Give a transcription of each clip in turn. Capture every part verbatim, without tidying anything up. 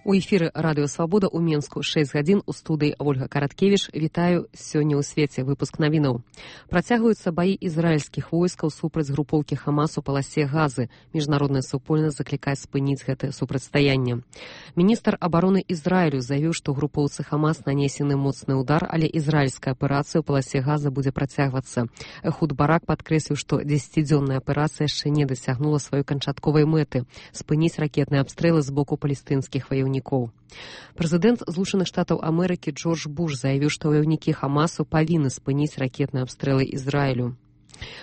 У эфіры радыё Свабода ў Менску шэсць гадзін у студыі Ольга Караткевіч. Вітаю сёння ў свеце выпуск навінаў. Працягваюцца баі ізраільскіх войскаў супраць групоўкі Хамас у паласе Газы. Міжнародная супольнасць заклікае спыніць гэтае супрацьстаянне. Міністр абароны Ізраілю заявіў, што групоўцы Хамас нанесены моцны ўдар, але ізраільская аперацыя ў паласе Газы будзе працягвацца. Эхуд Барак падкрэсліў, што дзесяцідзённая аперацыя яшчэ не дасягнула сваёй канчатковай мэты – спыніць ракетныя абстрэлы з боку палестынскіх ваяўнікоў. Прэзідэнт Злучаных Штатаў Амерыкі Джордж Буш заявіў, што ваяўнікі Хамасу павінны спыніць ракетныя абстрэлы Ізраілю.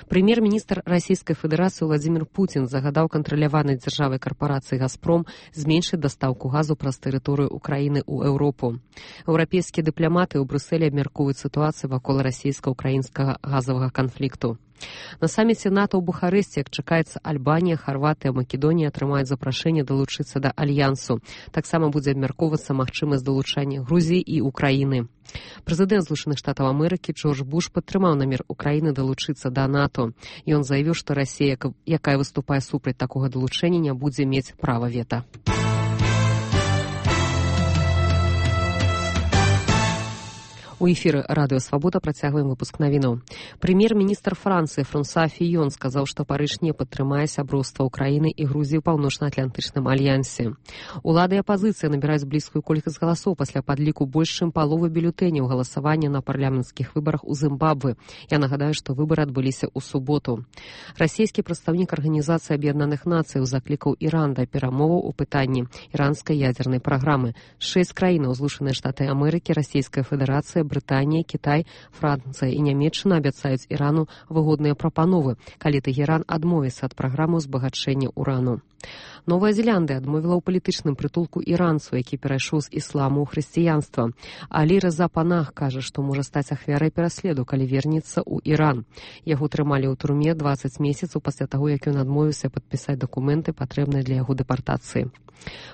Прэм'ер-міністр Расійскай Федэрацыі Владзімір Пуцін загадаў кантраляванай дзяржавай карпорацыі «Газпром» зменшыць дастаўку газу праз тэрыторыю Украіны ў Еўропу. Еўрапейскія дыпламаты ў Брюсселі абмяркоўваюць сітуацыю вакол расійска-украінскага газавага канфлікту. На саміце НАТО ў Бухарэсце, як чакаецца, Альбанія, Харватыя, Македонія атрымаюць запрашэнне далучыцца да альянсу. Таксама будзе абмяркоўвацца магчымасць далучання Грузіі і Украіны. Прэзідэнт Злучаных Штатаў Амерыкі Джордж Буш падтрымаў намер Украіны далучыцца да НАТО. Ён заявіў, што Расія, якая выступае супраць такога далучэння, не будзе мець права вета. У эфіры радыё Свабода працягваем выпуск навінаў. Прэм'ер-міністр Францыі Франсуа Фіён сказаў, што Парыж не падтрымае сяброўства Украіны і Грузіі ў паўночна-атлантычным альянсе. Улады і апазіцыя набіраюць блізкую колькасць галасоў пасля падліку больш чым паловы бюлетэняў галасавання на парламенцкіх выбарах у Зімбабве. Я нагадаю, што выбары адбыліся ў суботу. Расійскі прадстаўнік Арганізацыі Аб'яднаных Нацыяў заклікаў Іран да перамоваў у пытанні іранскай ядзернай праграмы. Шэсць краінаў Злучаныя Штаты Амерыкі, Расійская Федэрацыя, Брытанія, Кітай, Францыя і Нямецчына абяцаюць Ірану выгодныя прапановы, калі Тэгеран адмовіцца ад праграмы ўзбагачэння урану. Новая Зеландыя адмовіла ў палітычным прытулку іранцу, які перайшоў з ісламу ў хрысціянства. Алі Рэза Панах кажа, што можа стаць ахвярай пераследу, калі вернецца ў Іран. Яго трымалі ў турме дваццаць месяцаў пасля таго, як ён адмовіўся падпісаць дакументы, патрэбныя для яго дэпартацыі.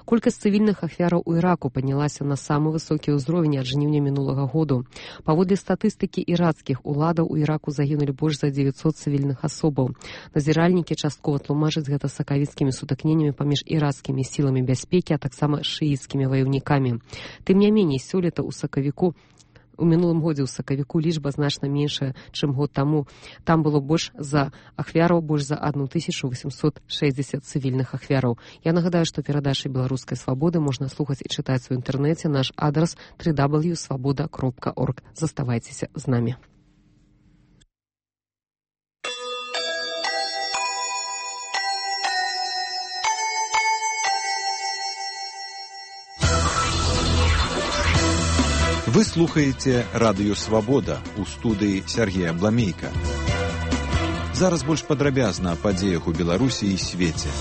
Колькасць цывільных ахвяраў у Іраку паднялася на самы высокі ўзровень ад жніўня мінулага году. Паводле статыстыкі ірацкіх уладаў у Іраку загінулі больш за дзевяцьсот цывільных асобаў. Назіральнікі часткова тлумачаць гэта сакавіцкімі сутыкненнямі паміж ірацкімі сіламі бяспекі, а таксама шыіцкімі ваяўнікамі. Тым не меней, сёлета ў сакавіку У мінулым годзе ў сакавіку лічба значна меншая, чым год таму. Там было больш за ахвяраў, больш за одну тысячу восемьсот шестьдесят цывільных ахвяраў. Я нагадаю, што перадачы беларускай свабоды можна слухаць і чытаць у інтэрнэце. Наш адрас дабл ю дабл ю дабл ю крапка свабода крапка орг. Заставайцеся з намі. Вы слухаеце радыё Свабода ў студыі Сергея Бламейка. Зараз больш падрабязна аб падзеях у Беларусі і свеце.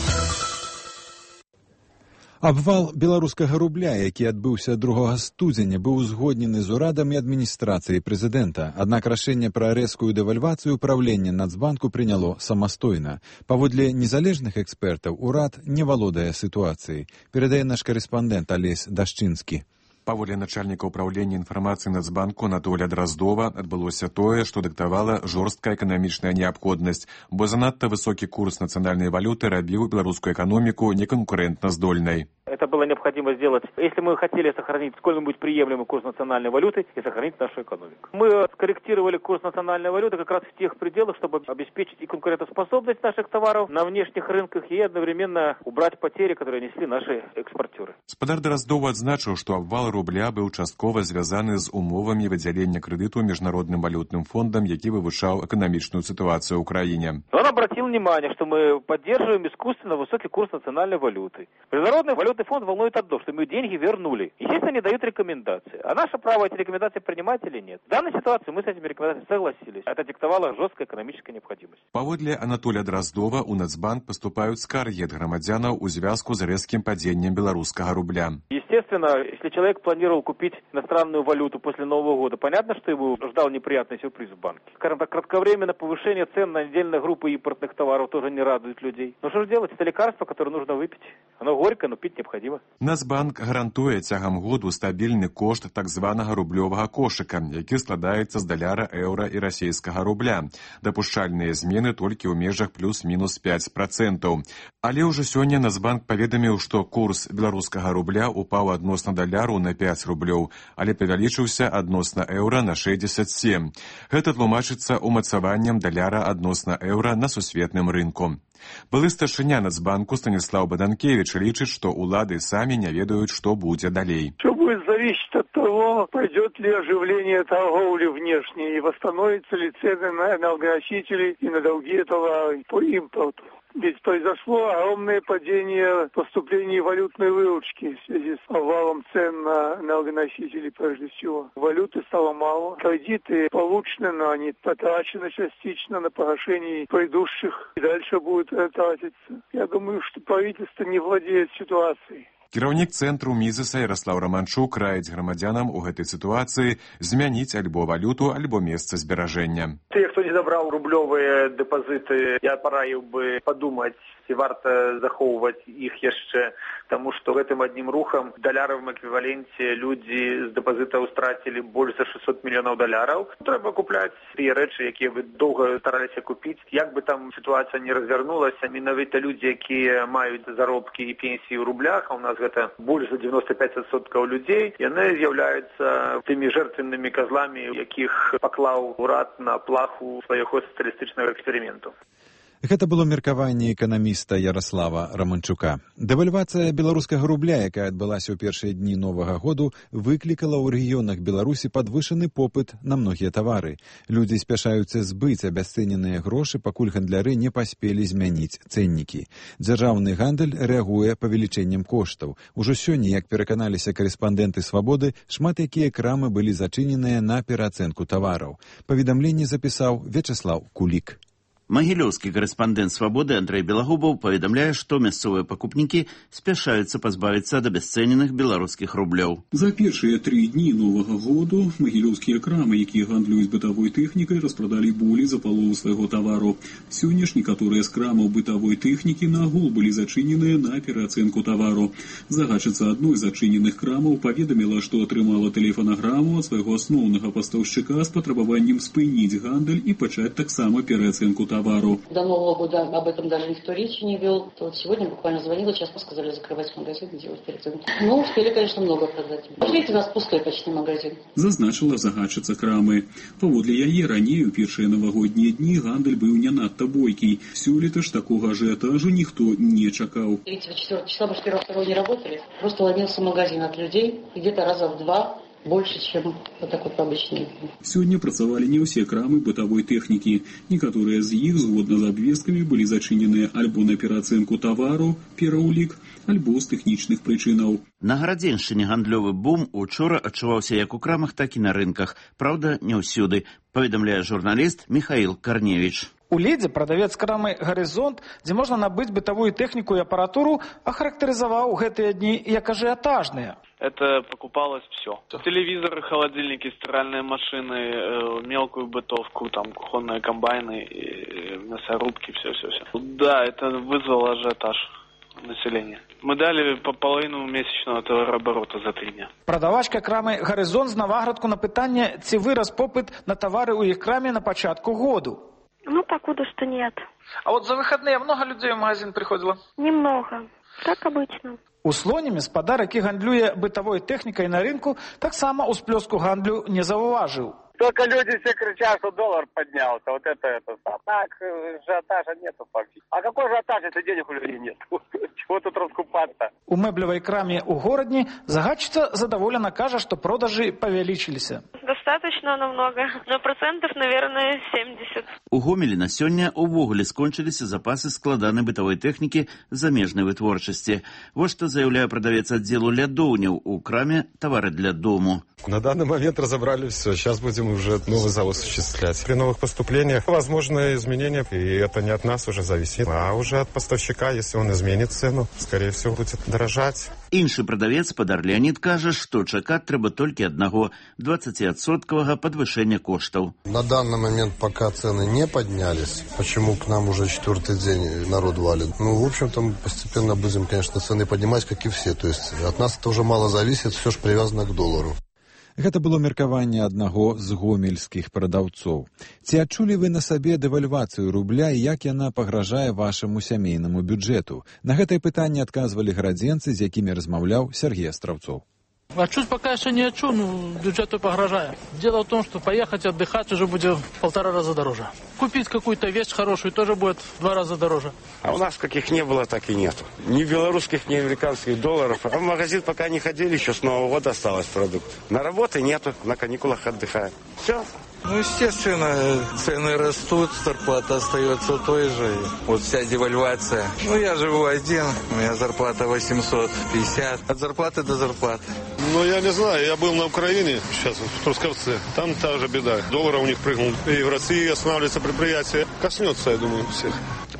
Абвал беларускага рубля, які адбыўся другога студзеня, быў узгоднены з урадам і адміністрацыяй прэзідэнта. Аднак рашэнне пра рэзкую дэвальвацыю ўправлення Нацбанку прыняло самастойна. Паводле незалежных экспертаў, урад не валодае сітуацыяй. Перадае наш карэспандэнт Алесь Дашчынскі. Паводле начальніка ўправлення інфармацыі Нацбанку Анатолія Драздова адбылося тое, што дыктавала жорсткая эканамічная неабходнасць, бо занадта высокі курс нацыянальнай валюты рабіў беларускую эканоміку неконкурентназдольнай. Это было необходимо сделать, если мы хотели сохранить сколь-нибудь приемлемый курс национальной валюты и сохранить нашу экономику. Мы скорректировали курс национальной валюты как раз в тех пределах, чтобы обеспечить и конкурентоспособность наших товаров на внешних рынках и одновременно убрать потери, которые несли наши экспортеры. Спадар Драздов адзначыў, што абвал рубля быў часткова звязаны з умовамі выдзялення крэдыту Міжнародным валютным фондам, які вывучаў эканамічную ситуацию ў краіне. Он обратил внимание, что мы поддерживаем искусственно высокий курс национальной валюты. Международный валютный фонд волнует одно, что мы деньги вернули. Естественно, они дают рекомендации. А наше право эти рекомендации принимать или нет. В данной ситуации мы с этими рекомендациями согласились. Это диктовала жесткая экономическая необходимость. Паводле Анатолия Драздова у Нацбанк поступают скаргі ад грамадзянаў у звязку з рэзкім падзеннем беларускага рубля. Естественно, если человек планировал купить иностранную валюту после Нового года, понятно, что его ждал неприятный сюрприз в банке. Скажем так, кратковременное повышение цен на отдельные группы импортных товаров тоже не радует людей. Но что же делать? Это лекарство, которое нужно выпить. Оно горькое, но пить необходимо. Нацбанк гарантуе цягам году стабільны кошт так званага рублёвага кошыка, які складаецца з даляра, еўра і расійскага рубля. Дапушчальныя змены толькі ў межах плюс-мінус пяць процентаў. Але ўжо сёння Нацбанк паведаміў, што курс беларускага рубля упаў упаў адносна даляру на пяць рублёў, але павялічыўся адносна еўра на шэсцьдзесят сем. Гэта тлумачыцца умацаваннем даляра адносна еўра на сусветным рынку. Былы старшыня Нацбанку Станіслав Баданкевич лічыць, што улады самі не ведаюць, што будзе далей. Все будет зависеть от того, пойдет ли оживление торговли внешней и восстановятся ли цены на энергоносители и на другие товары по импорту. Ведь произошло огромное падение поступлений валютной выручки в связи с обвалом цен на энергоносители прежде всего. Валюты стало мало, кредиты получены, но они потрачены частично на погашение предыдущих и дальше будут тратиться. Я думаю, что правительство не владеет ситуацией. Кіраўнік цэнтру Мізеса Ярослав Романчук раіць грамадзянам у гэтай сітуацыі змяніць альбо валюту, альбо месца зберажэння. Те, кто не забрал рублевые депозиты, я пораил бы подумать, ці варта захоўваць іх яшчэ, тому что гэтым одним рухом в даляровом эквиваленте люди з депозитаў страцілі больш за шестьсот мільёнаў даляраў. Трэба купляць тыя рэчы, якія вы доўга стараліся купіць. Як бы там сітуацыя не развернулася, менавіта людзі, якія маюць заробкі і пенсіі ў рублях, а у нас гэта больш за девяносто пять процентов людзей, яны з'яўляюцца тымі жертвеннымі казламі, якіх паклаў урад на плаху свайго сацыялістычнага эксперыменту. Гэта было меркаванне эканаміста Ярослава Романчука. Дэвальвацыя беларускага рубля, якая адбылася ў першыя дні Новага году, выклікала ў рэгіёнах Беларусі падвышаны попыт на многія тавары. Людзі спяшаюцца збыць абясцэненыя грошы, пакуль гандляры не паспелі змяніць цэннікі. Дзяржаўны гандаль рэагуе павелічэннем коштаў. Ужо сёння, як пераканаліся карэспандэнты «Свабоды», шмат якія крамы былі зачыненыя на пераацэнку тавараў. Паведамленне запісаў Вячеслав Кулік. Магілёўскі карэспандэнт «Свабоды» Андрэй Белагубаў паведамляе, што мясцовыя пакупнікі спяшаюцца пазбавіцца ад абясцэненых беларускіх рублёў. За першыя тры дні Новага году магілёўскія крамы, якія гандлююць бытавой тэхнікай, распрадалі болей за палову свайго тавару. Сёння ж некаторыя з крамаў бытавой тэхнікі нагул былі зачыненыя на пераацэнку тавару. Загадчыца адной з зачыненых крамаў паведаміла, што атрымала тэлефанаграму ад свайго асноўнага пастаўшчыка з патрабаваннем спыніць гандаль і пачаць таксама пераацэнку тавару. До Нового года об этом даже никто речи не вел. То вот сегодня буквально звонила, сейчас мы сказали закрывать магазин и делать переоценку. Ну, успели, конечно, много продать. Видите, у нас пустой почти магазин. Зазначила загадчыца крамы. Паводле яе раней у першыя навагоднія дні гандаль быў не надта бойкі. Сёлета ж такога ажыятажу ніхто не чакаў. третьего-четвёртого числа, мы же первого-второго не работали. Просто ломился магазин от людей где-то раза в два. Больше, чем вот так вот обычные. Сёння працавалі не ўсе крамы бытавой тэхнікі. Некаторыя з іх, згодна з абвесткамі, былі зачыненыя альбо на пераацэнку тавару, пераўлік, альбо з тэхнічных прычынаў. На Гарадзеншчыне гандлёвы бум учора адчуваўся як у крамах, так і на рынках. Праўда, не ўсюды, паведамляе журналіст Михаил Корневич. У Лідзе прадавец крамы «Гарызонт», дзе можна набыць бытавую тэхніку і апаратуру, ахарактарызаваў гэтыя дні як ажыятажныя. Это покупалось все. Телевизоры, холодильники, стиральные машины, мелкую бытовку, там кухонные комбайны, мясорубки, все-все-все. Да, это вызвало ажиотаж населения. Мы дали по половину месячного товарооборота за три дня. Продавачка крамы «Гарызонт» з Наваградку на пытанне, ці вырас попыт на товары у іх краме на пачатку году. Ну, покуда что нет. А вот за выходные много людей в магазин приходило? Немного. Как обычно. У Слоне гаспадар, які гандлюе бытавой тэхнікай на рынку, таксама ўсплёску гандлю не заўважыў. Только люди все кричат, что доллар поднялся. Вот это, это. Так, ажиотажа нету фактически. А какой ажиотаж, если денег у людей нет? Чего тут раскупаться? У мэблевой краме у Городні загадчица задоволена кажа, что продажи павялічыліся. Достаточно намного. На процентов, наверное, семьдесят. У Гомелі на сёння увогуле скончыліся запасы складанай бытавой тэхнікі замежнай вытворчасці. Вот што заяўляе прадавец аддзелу лядоўняў у краме «Товары для дому». На данный момент разобрали все. Сейчас будем уже новый завод осуществлять. При новых поступлениях возможны изменения, и это не от нас уже зависит, а уже от поставщика. Если он изменит цену, скорее всего, будет дорожать. Іншы прадавец, спадар Леонид, кажа, што чакаць трэба толькі аднаго двадцатиадсотковага падвышэння коштаў. На данный момент пока цены не поднялись. Почему к нам уже четвертый день народ валит? Ну, в общем-то, мы постепенно будем, конечно, цены поднимать, как и все. То есть от нас это уже мало зависит, все же привязано к доллару. Гэта было меркаванне аднаго з гомельскіх прадаўцоў. Ці адчулі вы на сабе дэвальвацыю рубля і як яна пагражае вашаму сямейнаму бюджэту? На гэтае пытанне адказвалі гарадзенцы, з якімі размаўляў Сергей Астраўцоў. А чуть пока еще не отчу, ну, бюджету погрожает. Дело в том, что поехать отдыхать уже будет в полтора раза дороже. Купить какую-то вещь хорошую тоже будет в два раза дороже. А у нас каких не было, так и нету. Ни белорусских, ни американских долларов. А в магазин пока не ходили, еще с Нового года осталось продукт. На работе нету, на каникулах отдыхаем. Все. Ну, естественно, цены растут, зарплата остается той же. Вот вся девальвация. Ну, я живу один, у меня зарплата восемьсот пятьдесят. От зарплаты до зарплаты. Ну, я не знаю, я был на Украине, сейчас в Трускавце. Там та же беда. Доллар у них прыгнул. И в России останавливается предприятие. Коснется, я думаю, всех.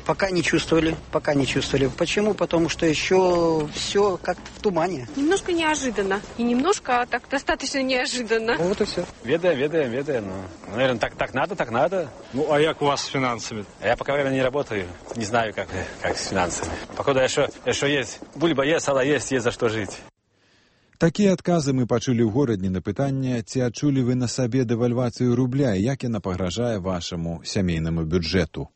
Пока не чувствовали, пока не чувствовали. Почему? Потому что еще все как-то в тумане. Немножко неожиданно. И немножко, а так достаточно неожиданно. Ну, вот и все. Ведаем, ведаем, ведаем. Ну, наверное, так, так надо, так надо. Ну, а как у вас с финансами? Я пока время не работаю. Не знаю, как, как с финансами. Пока еще, еще есть. Бульба есть, сало есть, есть за что жить. Такія адказы мы пачулі ў горадні на пытанне, ці адчулі вы на сабе дэвальвацыю рубля і як яна пагражае вашаму сямейнаму бюджэту.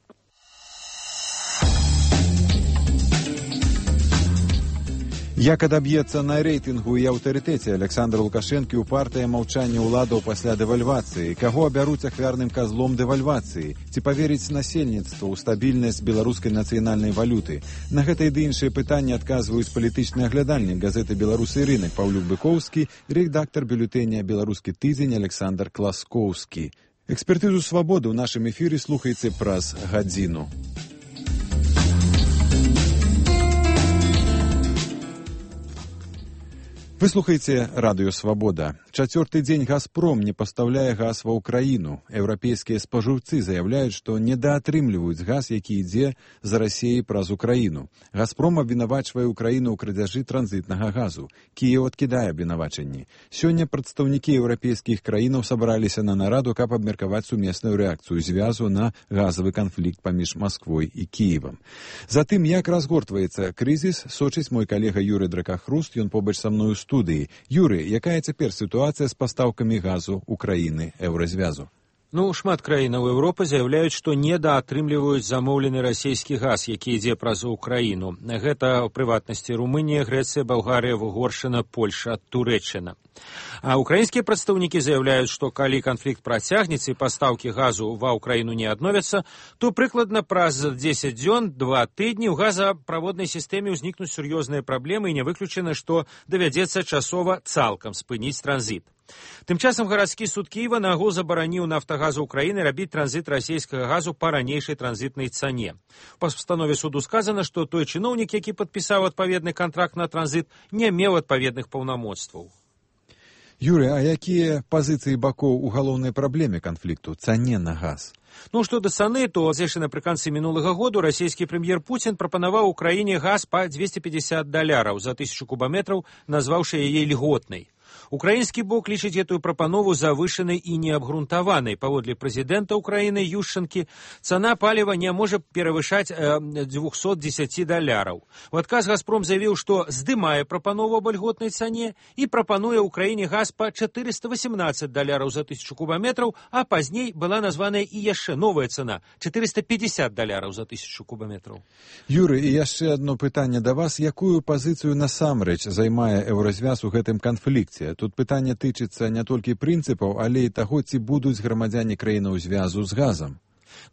Як адаб'ецца на рэйтынгу і аўтарытэце Александра Лукашэнкі ў партыя маўчання ўладаў пасля дэвальвацыі? Каго абяруць ахвярным казлом дэвальвацыі? Ці паверыць насельніцтву ў стабільнасць беларускай нацыянальнай валюты? На гэтыя ды іншыя пытанні адказваюць палітычны аглядальнік газеты «Беларусі рынак» Паўлюк Быкоўскі, рэдактар бюлетэня «Беларускі тыдзень» Александр Класкоўскі. Экспертызу «Свабоды» ў нашым эфіры слухайце праз гадзіну. Вы слухаеце радыё «Свабода». Чацвёрты дзень «Газпром» не пастаўляе газ ва ўкраіну. Еўрапейскія спажыўцы заяўляюць, што недаатрымліваюць газ, які ідзе з Расіі праз Украіну. «Газпром» абвінавачвае ўкраіну ў крадзяжы транзітнага газу. Кіеў адкідае абвінавачанні. Сёння прадстаўнікі еўрапейскіх краінаў сабраліся на нараду, каб абмеркаваць сумесную рэакцыю звязу на газавы канфлікт паміж Масквой і Кіевам. Затым, як разгортваецца крызіс, сочыць мой калега Юрый Дракахруст, ён побач са мною студыі. Юры, якая цяпер сітуацыя з пастаўкамі газу ўкраіны еўразвязу? Ну, шмат краінаў Еўропы заяўляюць, што недаатрымліваюць замоўлены расійскі газ, які ідзе праз Украіну. Гэта, ў прыватнасці, Румынія, Грэцыя, Балгарыя, Угоршчына, Польша, Турэччына. А украінскія прадстаўнікі заяўляюць, што калі канфлікт працягнецца і пастаўкі газу ва ўкраіну не адновяцца, то прыкладна праз дзесяць дзён, два тыдні ў газаправоднай сістэме ўзнікнуць сур'ёзныя праблемы і не выключана, што давядзецца часова цалкам спыніць транзіт. Тым часам гарадскі суд Кіева нагул забараніў «Нафтагазу Украіны» рабіць транзіт расійскага газу па ранейшай транзітнай цане. Па пастанове суду сказана, што той чыноўнік, які падпісаў адпаведны кантракт на транзіт, не меў адпаведных паўнамоцтваў. Юрый, а якія пазіцыі бакоў у галоўнай праблеме канфлікту – цане на газ? Ну, што да цаны, то зэйшы напрыканцы мінулага году расійскі прэм'ер Пуцін прапанаваў Украіне газ па дзвесце пятьдесят даляраў за тысячу кубаметраў, назваўшы яе льготнай. Украінскі бок лічыць гэтую прапанову завышанай і неабгрунтаванай. Паводле прэзідэнта Украіны Ющенкі, цана паліва не можа перавышаць э, двухсот дзесяці даляраў. У адказ «Газпром» заявіў, што здымае прапанову аб льготнай цане і прапануе Украіне газ па чатырыста васемнаццаць даляраў за тысячу кубаметраў, а пазней была названая і яшчэ новая цана – чатырыста пятьдесят даляраў за тысячу кубаметраў. Юрый, і яшчэ адно пытанне да вас. Якую пазіцыю насамрэч займае еўразвяз у гэтым канфлікце? Тут пытанне тычыцца не толькі прынцыпаў, але і таго, ці будуць грамадзяне краінаў звязу з газам.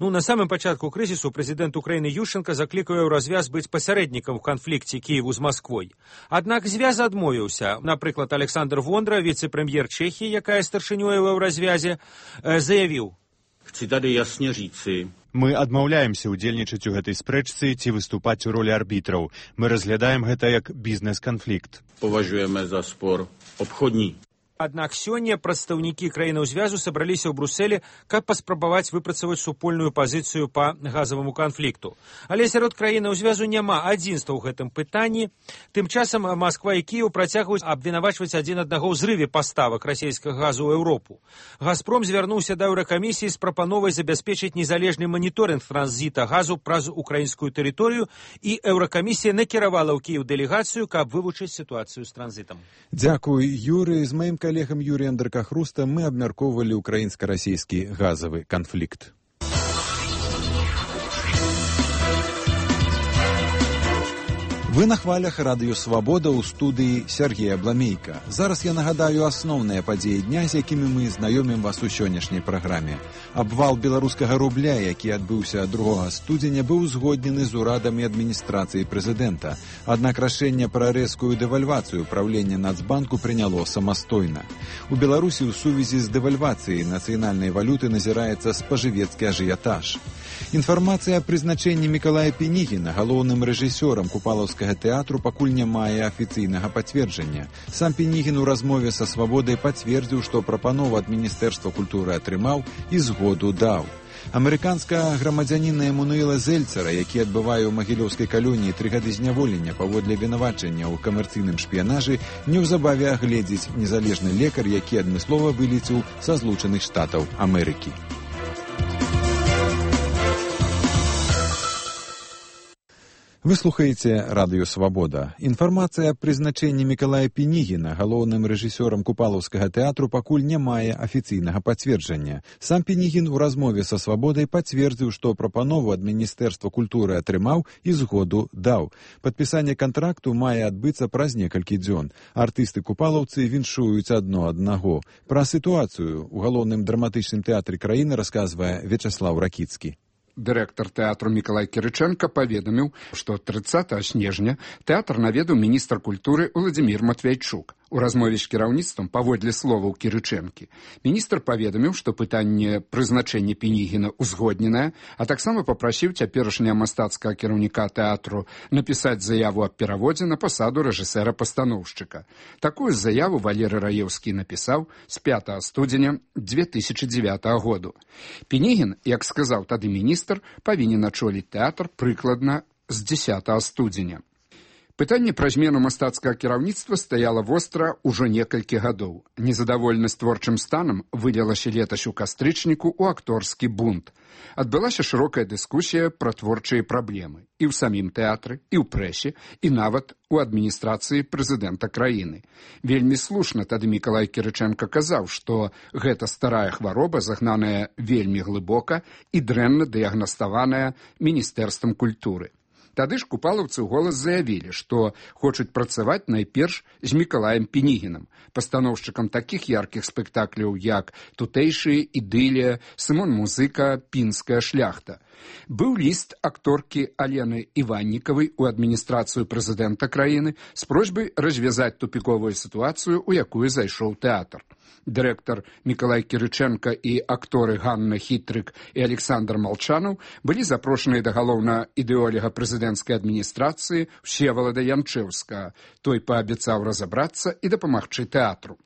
Ну, на самым пачатку крызісу прэзідэнт Украіны Ющенка заклікаў еўразвяз быць пасярэднікам у канфлікце Кіеву з Масквой. Аднак звяз адмовіўся. Напрыклад, Александр Вондра, віцэ-прэм'ер Чэхіі, якая старшынёй у еўразвязе, заявіў: «Chcę tady jasne říci, мы адмаўляемся ўдзельнічаць у гэтай спрэчцы ці выступаць у ролі арбітраў. Мы разглядаем гэта як бізнес-канфлікт. Паважуем за спор обходні». Аднак сёння прадстаўнікі краінаў звязу сабраліся ў Брусэлі, каб паспрабаваць выпрацаваць супольную пазіцыю па газаваму канфлікту. Але сярод краінаў звязу няма адзінства ў гэтым пытанні. Тым часам Масква і Кіеў працягваюць абвінавачваць адзін аднаго ў зрыве паставак расійскага газу ў Еўропу. «Газпром» звярнуўся да еўракамісіі з прапановай забяспечыць незалежны маніторынг транзіта газу праз украінскую тэрыторыю, і еўракамісія накіравала ў Кіеў дэлегацыю, каб вывучыць сітуацыю з транзітам. Дзякуй, Юрый. З маім калегам Юрыем Дракахрустам мы абмяркоўвалі украінска-расійскі газавы канфлікт. Вы на хвалях радыё «Свабода» ў студыі Сергея Бламейка. Зараз я нагадаю асноўныя падзеі дня, з якімі мы знаёмім вас у сённяшняй праграме. Абвал беларускага рубля, які адбыўся другога студзеня, быў узгоднены з урадам і адміністрацыяй прэзідэнта. Аднак рашэнне пра рэзкую дэвальвацыю правлення Нацбанку прыняло самастойна. У Беларусі ў сувязі з дэвальвацыяй нацыянальнай валюты назіраецца спажывецкі ажыятаж. Інфармацыя аб прызначэнні Мікалая Пінігіна галоўным рэжысёрам купалаўскага тэатру пакуль не мае афіцыйнага пацверджання. Сам Пінігін у размове са «Свабодай» пацвердзіў, што прапанову ад Міністэрства культуры атрымаў і згоду даў. Амерыканскага грамадзяніна Эмануэла Зельцера, які адбывае ў магілёўскай калоніі тры гады зняволення паводле вінавачання ў камерцыйным шпіянажы, неўзабаве агледзіць незалежны лекар, які адмыслова вылецеў са Злучаных Штатаў Амерыкі. Вы слухаеце радыё «Свабода». Інфармацыя аб прызначэнні Мікалая Пінігіна галоўным рэжысёрам купалаўскага тэатру пакуль не мае афіцыйнага пацверджання. Сам Пінігін у размове са «Свабодай» пацвердзіў, што прапанову ад Міністэрства культуры атрымаў і згоду даў. Падпісанне кантракту мае адбыцца праз некалькі дзён. Артысты-купалаўцы віншуюць адно аднаго. Пра сітуацыю ў галоўным драматычным тэатры краіны расказвае Вячаслаў Ракіцкі. Дырэктар тэатру Мікалай Кірычэнка паведаміў, што трыццатага снежня тэатр наведаў міністр культуры Уладзімір Матвейчук. У размове з кіраўніцтвам, паводле словаў Кірычэнкі, міністр паведаміў, што пытанне прызначэння Пінігіна ўзгодненае, а таксама папрасіў цяперашняга мастацкага кіраўніка тэатру напісаць заяву аб пераводзе на пасаду рэжысэра-пастаноўшчыка. Такую заяву Валерый Раеўскі напісаў з пятага студзеня дзве тысячы дзевятага году. Пінігін, як сказаў тады міністр, павінен ачоліць тэатр прыкладна з дзесятага студзеня. Пытанне пра змену мастацкага кіраўніцтва стаяла востра ўжо некалькі гадоў. Незадаволенасць творчым станам вылілася летась у кастрычніку ў акторскі бунт. Адбылася шырокая дыскусія пра творчыя праблемы і ў самім тэатры, і ў прэсе, і нават у адміністрацыі прэзідэнта краіны. Вельмі слушна тады Мікалай Кірычэнка казаў, што гэта старая хвароба, загнаная вельмі глыбока і дрэнна дыягнаставаная Міністэрствам культуры. Тады ж купалаўцы ў голас заявілі, што хочуць працаваць найперш з Мікалаем Пінігінам, пастаноўшчыкам такіх яркіх спектакляў, як «Тутэйшыя», «Ідылія», «Сымон Музыка», «Пінская шляхта». Быў ліст акторкі Алены Іваннікавай у адміністрацыю прэзідэнта краіны з просьбай развязаць тупіковую сітуацыю, у якую зайшоў тэатр. Дырэктар Мікалай Кірычэнка і акторы Ганна Хітрык і Александр Малчанаў былі запрошаныя да галоўнага ідэоляга прэзідэнцкай адміністрацыі Всевалада Янчэўскага. Той паабяцаў разабрацца і дапамагчы тэатру.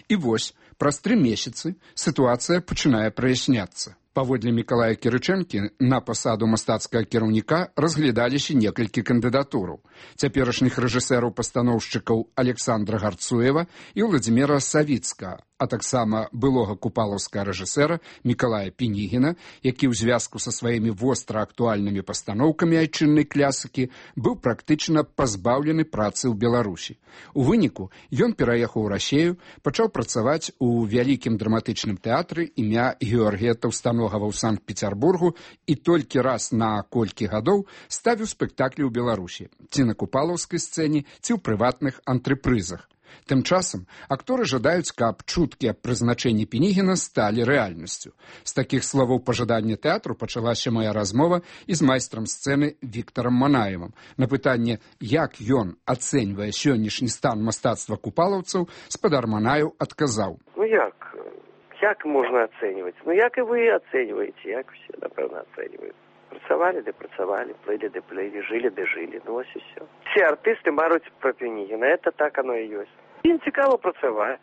І вось, праз тры месяцы сітуацыя пачынае праясняцца. Паводле Мікалая Кірычэнкі на пасаду мастацкага кіраўніка разглядаліся некалькі кандыдатураў. Цяперашніх рэжысэраў-пастаноўшчыкаў Александра Гарцуева і Владзіміра Савіцкага, а таксама былога купалаўскага рэжысэра Мікалая Пінігіна, які ў звязку са сваімі востра актуальнымі пастаноўкамі айчыннай клясыкі быў практычна пазбаўлены працы ў Беларусі. У выніку ён пераехаў у Расею, пачаў працаваць у вялікім драматычным тэатры імя Георгія Таўстаногава ў Санкт-Пецярбургу і толькі раз на колькі гадоў ставіў спектаклі ў Беларусі, ці на купалаўскай сцэне, ці ў прыватных антрепрызах. Тым часам акторы жадаюць, каб чуткі аб прызначэнні Пінігіна сталі рэальнасцю. З такіх словаў пажадання тэатру пачалася моя размова і з майстрам сцэны Віктарам Манаевым. На пытанне, як ён ацэньвае сённяшні стан мастацтва купалаўцаў, спадар Манаев адказаў. Ну як? Як можна ацэньваць? Ну як і вы ацэньваеце, як усе, напэўна, ацэньваюць. Працавалі, ды працавалі, плылі, ды плылі, жылі, ды жылі, ну ось і все. Все артысты маруць пра Пінігіна, это так оно і ёсць. Ім цікава працаваць,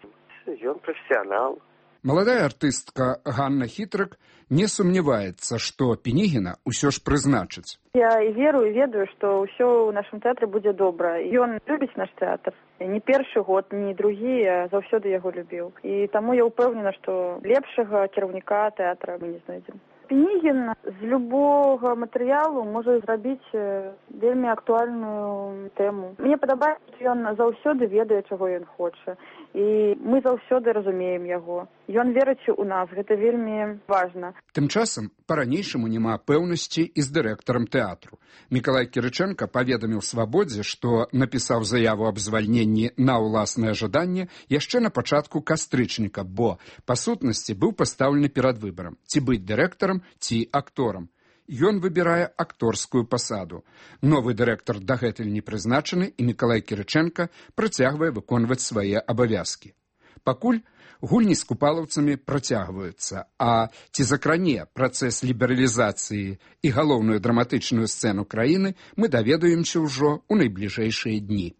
ён прафесіянал. Маладая артыстка Ганна Хітрык не сумняваецца, што Пінігіна ўсё ж прызначыць. Я і веру, і ведаю, што ўсё ў нашым тэатры будзе добра. Ён любіць наш тэатр. Не першы год, не другі, а заўсёды яго любіў. І таму я ўпэўнена, што лепшага кіраўніка тэатра мы не знойдзем. Пінігін з любого матэрыялу можа зрабіць вельмі актуальную тэму. Мне падабаецца, што ён заўсёды ведае, чаго ён хоча. І мы заўсёды разумеем яго. Ён верыць у нас, гэта вельмі важна. Тым часам, па-ранейшаму няма пэўнасці і з дырэктарам тэатру. Мікалай Кірычэнка паведаміў «Свабодзе», што напісаў заяву аб звальненні на ўласнае жаданне яшчэ на пачатку кастрычніка, бо, па сутнасці, быў пастаўлены перад выбарам, ці быць дырэктарам, ці акторам. Ён выбірае акторскую пасаду. Новы дырэктар дагэтуль не прызначаны, і Мікалай Кірычэнка працягвае выконваць свае абавязкі. Пакуль гульні з купалаўцамі працягваюцца, а ці закране працэс лібералізацыі і галоўную драматычную сцэну краіны, мы даведаемся ўжо ў найбліжэйшыя дні.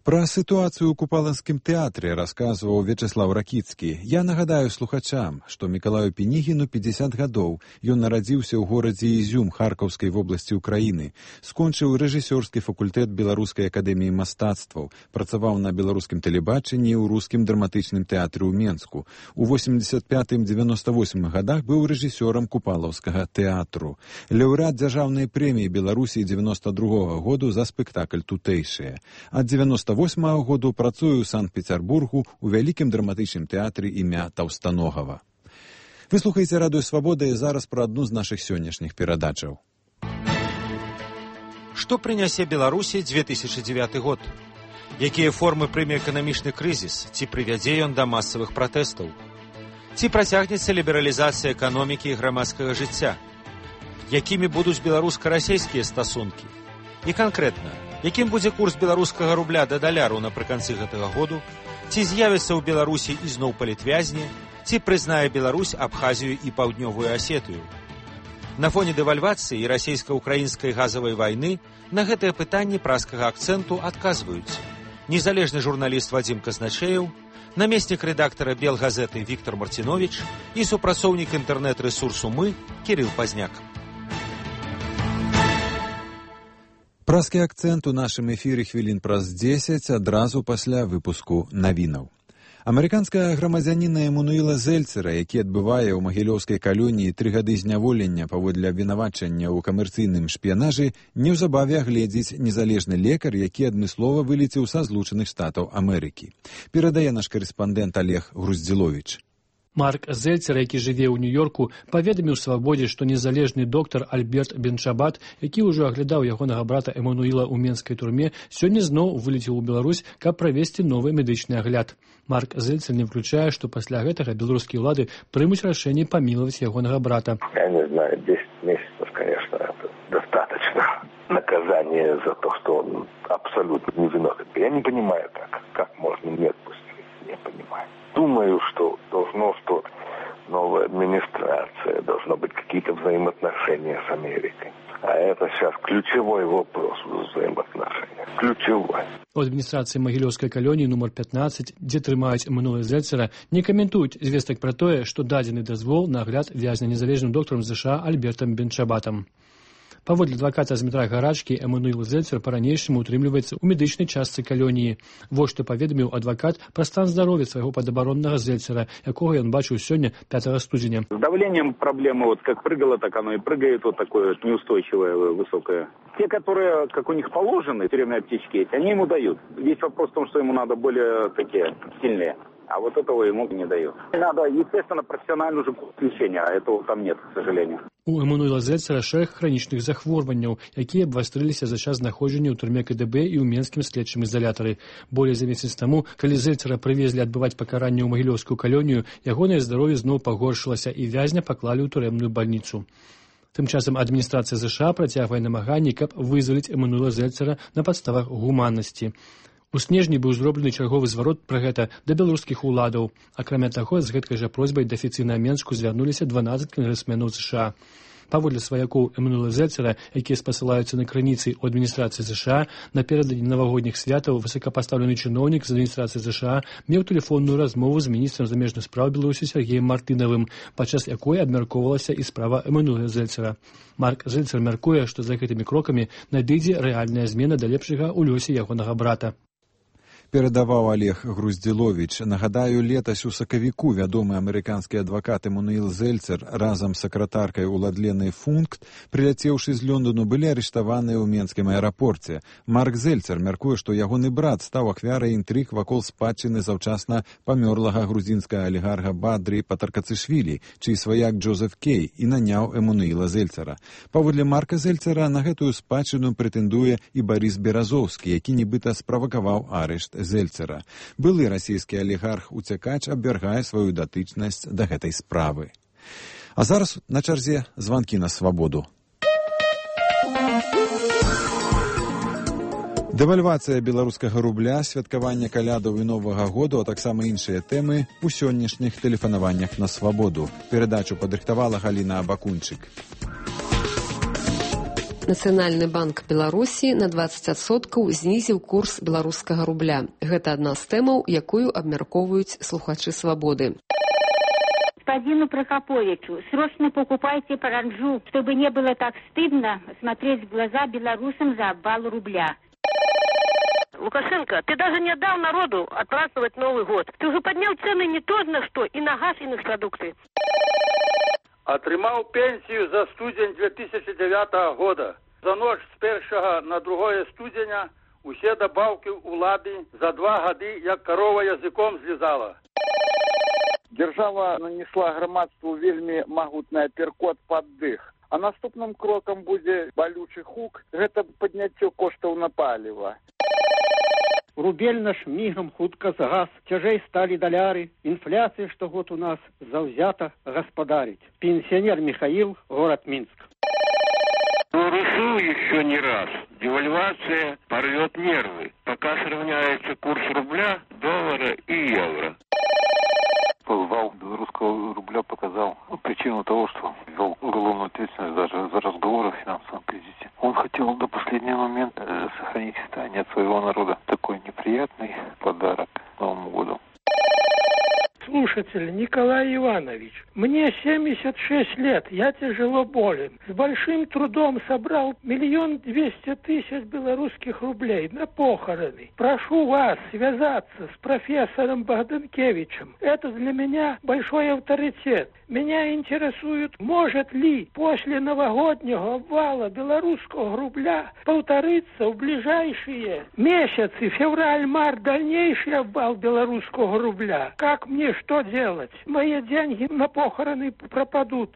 Пра сітуацыю ў купалаўскім тэатры расказваў Вячеслав Ракіцкі. Я нагадаю слухачам, што Мікалаю Пінігіну пятьдесят гадоў. Ён нарадзіўся ў горадзе Ізюм Харкаўскай вобласці ўкраіны. Скончыў рэжысёрскі факультэт Беларускай акадэміі мастацтваў. Працаваў на беларускім тэлебачанні і ў рускім драматычным тэатры ў Менску. У восемьдесят пятым — девяносто восьмым гадах быў рэжысёрам купалаўскага тэатру. Лаўрэат дзяржаўнай прэміі Беларусі девяносто другога году за спектакль «Тутэйшыя». Ад девяносто восьмага году працую ў Санкт-Пецярбургу ў вялікім драматычным тэатры імя Таўстаногава. Вы слухаеце радыё «Свабода» і зараз пра адну з нашых сённяшніх перадачаў. Што прынясе Беларусі две тысячы дзевяты год? Якія формы прыме эканамічны крызіс? Ці прывядзе ён да масавых пратэстаў? Ці працягнецца лібералізацыя эканомікі і грамадскага жыцця? Якімі будуць беларуска-расейскія стасункі? І канкрэтна, якім будзе курс беларускага рубля да даляру напрыканцы гэтага году? Ці з'явіцца ў Беларусі ізноў палітвязні? Ці прызнае Беларусь Абхазію і Паўднёвую Асетыю? На фоне дэвальвацыі і расейска-украінскай газавай вайны на гэтае пытанне праскага акцэнту адказваюць незалежны журналіст Вадзім Казначеев, намеснік рэдактара Белгазеты Віктор Марціновіч і супрацоўнік інтэрнэт-рэсурсу «Мы» Кірыл Пазняк. Праскі акцэнт у нашым эфіры хвілін праз дзесяць адразу пасля выпуску навінаў. Амерыканская грамадзяніна Эммануіла Зельцера, які адбывае ў магілёўскай калоніі тры гады зняволення паводле абвінавачання ў камерцыйным шпіянажы, неўзабаве агледзіць незалежны лекар, які адмыслова вылецеў са Злучаных Штатаў Амерыкі. Перадае наш карэспандэнт Олег Груздзіловіч. Марк Зельцер, які жыве ў Нью-Йорку, паведаміў «Свабодзе», што незалежны доктар Альберт Бенчабат, які ўжо аглядаў ягонага брата Эммануіла ў менскай турме, сёння зноў вылецеў у Беларусь, каб правесці новы медычны агляд. Марк Зельцер не включае, што пасля гэтага беларускія ўлады прымуць рашэнне памілаваць ягонага брата. Я не знаю, десять месяцев, конечно, это достаточно наказание за то, что он абсолютно невиновен. Я не понимаю, как, как можно не отпустить, не понимаю. Думаю, что должно, что новая администрация, должно быть какие-то взаимоотношения с Америкой. А это сейчас ключевой вопрос взаимоотношений. Ключевой. У адміністрацыі магілёўскай калоніі нумар пятнадцать, дзе трымаюць Эммануіла Зельцера, не каментуюць звестак пра тое, што дадзены дазвол на агляд вязня незалежным доктарам ЗША Альбертам Бенчабатам. Паводле адваката з метра Гарачкі, Эммануіл Зельцер па-ранейшаму утрымліваецца ў медычнай частцы калоніі. Вось што паведаміў адвакат пра стан здароўя свайго падабароннага Зельцера, якога ён бачыў сёння пятого студзеня. С давлением проблема вот как прыгало, так оно и прыгает, вот такое неустойчивое, высокое. Те, которые, как у них положены, тюремные аптечки есть, они ему дают. Весь вопрос в том, что ему надо более такие сильные. А вот этого ему не дают. Надо, естественно, профессиональное уже лечение, а этого там нет, к сожалению. У Эммануіла Зельцера шэраг хранічных захворванняў, якія абвастрыліся за час знаходжання ў турме КДБ і ў менскім следчым изолятары. Болей за месяц таму, калі Зельцера прывезлі адбываць пакаранне ў магілёўскую калонію, ягонае здароўе зноў пагоршылася і вязня паклалі ў турэмную бальніцу. Тым часам адміністрацыя ЗША працягвае намаганні, каб вызваліць Эммануіла Зельцера на падставах гуманнасці. У снежні быў зроблены чарговы зварот пра гэта да беларускіх уладаў. Акрамя таго, з гэткай жа просьбай да афіцыйна Менску звярнуліся дванаццаць кангрэсменаў ЗША. Паводле сваякоў Эммануіла Зельцера, якія спасылаюцца на крыніцы ў адміністрацыі ЗША, наперададні навагодніх святаў высокапастаўлены чыноўнік з адміністрацыі ЗША меў тэлефонную размову з міністрам замежных спраў Беларусі Сергеем Мартынавым, падчас якой абмяркоўвалася і справа Эммануіла Зельцера. Марк Зельцер мяркуе, што за гэтымі крокамі надыдзе рэальная змена да лепшага ў лёсе ягонага брата. перадаваў Олег Груздзіловіч. Нагадаю, летась у сакавіку вядомы амерыканскі адвакат Эммануил Зельцер разам з сакратаркай Уладленай Функт, прыляцеўшы з Лондону, былі арыштаваныя ў менскім аэрапорце. Марк Зельцер мяркуе, што ягоны брат стаў ахвярай інтрыг вакол спадчыны заўчасна памёрлага грузінскага алігарха Бадры Патаркацышвілі, чый сваяк Джозеф Кей і наняў Эммануила Зельцера. Паводле Марка Зельцера на гэтую спадчыну прэтэндуе і Барыс Беразоўскі, які нібыта справакаваў арышт Зельцера. Былы расійскі алігарх-уцякач абвяргае сваю датычнасць да гэтай справы. А зараз на чарзе званкі на свабоду. Дэвальвацыя беларускага рубля, святкаванне калядаў і Новага году, а таксама іншыя тэмы у сённяшніх тэлефанаваннях на свабоду. Перадачу падрыхтавала Галіна Абакунчык. Нацыянальны банк Беларусі на дваццаць адсоткаў знізіў курс беларускага рубля. Гэта адна з тэмаў, якую абмяркоўваюць слухачы свабоды. Господину Прокоповичу, срочно покупайте паранджу, чтобы не было так стыдно смотреть в глаза белорусам за обвал рубля. Лукашенко, ты даже не дал народу отпраздновать Новый год. Ты уже поднял цены не то на что, и на газ, и на продукты. Атрымаў пенсію за студзень две тысячи девятого года. За ноч з першага на другое студзеня усе дабаўкі ўлады за два гады, як карова языком злізала. Дзяржава нанесла грамадству вельмі магутны аперкот пад дых. А наступным крокам будзе балючы хук, гэта падняццё коштаў на паліва. Рубель наш мигом хутка загас, цяжэй стали доляры, инфляция штогод у нас завзята господарить. Пенсионер Михаил, город Минск. Решил еще не раз. Девальвация порвет нервы, пока сравняется курс рубля, доллара и евро. Обвал белорусского рубля показал причину того, что ввел уголовную ответственность даже за разговоры о финансовом кризисе. Он хотел до последнего момента сохранить состояние от своего народа. Такой неприятный подарок Новому году. Слушатель Николай Иванович, мне семьдесят шесть лет, я тяжело болен. С большим трудом собрал миллион двести тысяч белорусских рублей на похороны. Прошу вас связаться с профессором Богданкевичем. Это для меня большой авторитет. Меня интересует, может ли после новогоднего обвала белорусского рубля повториться в ближайшие месяцы, февраль-март, дальнейший обвал белорусского рубля. Как мне что делать? Мои деньги на похороны пропадут.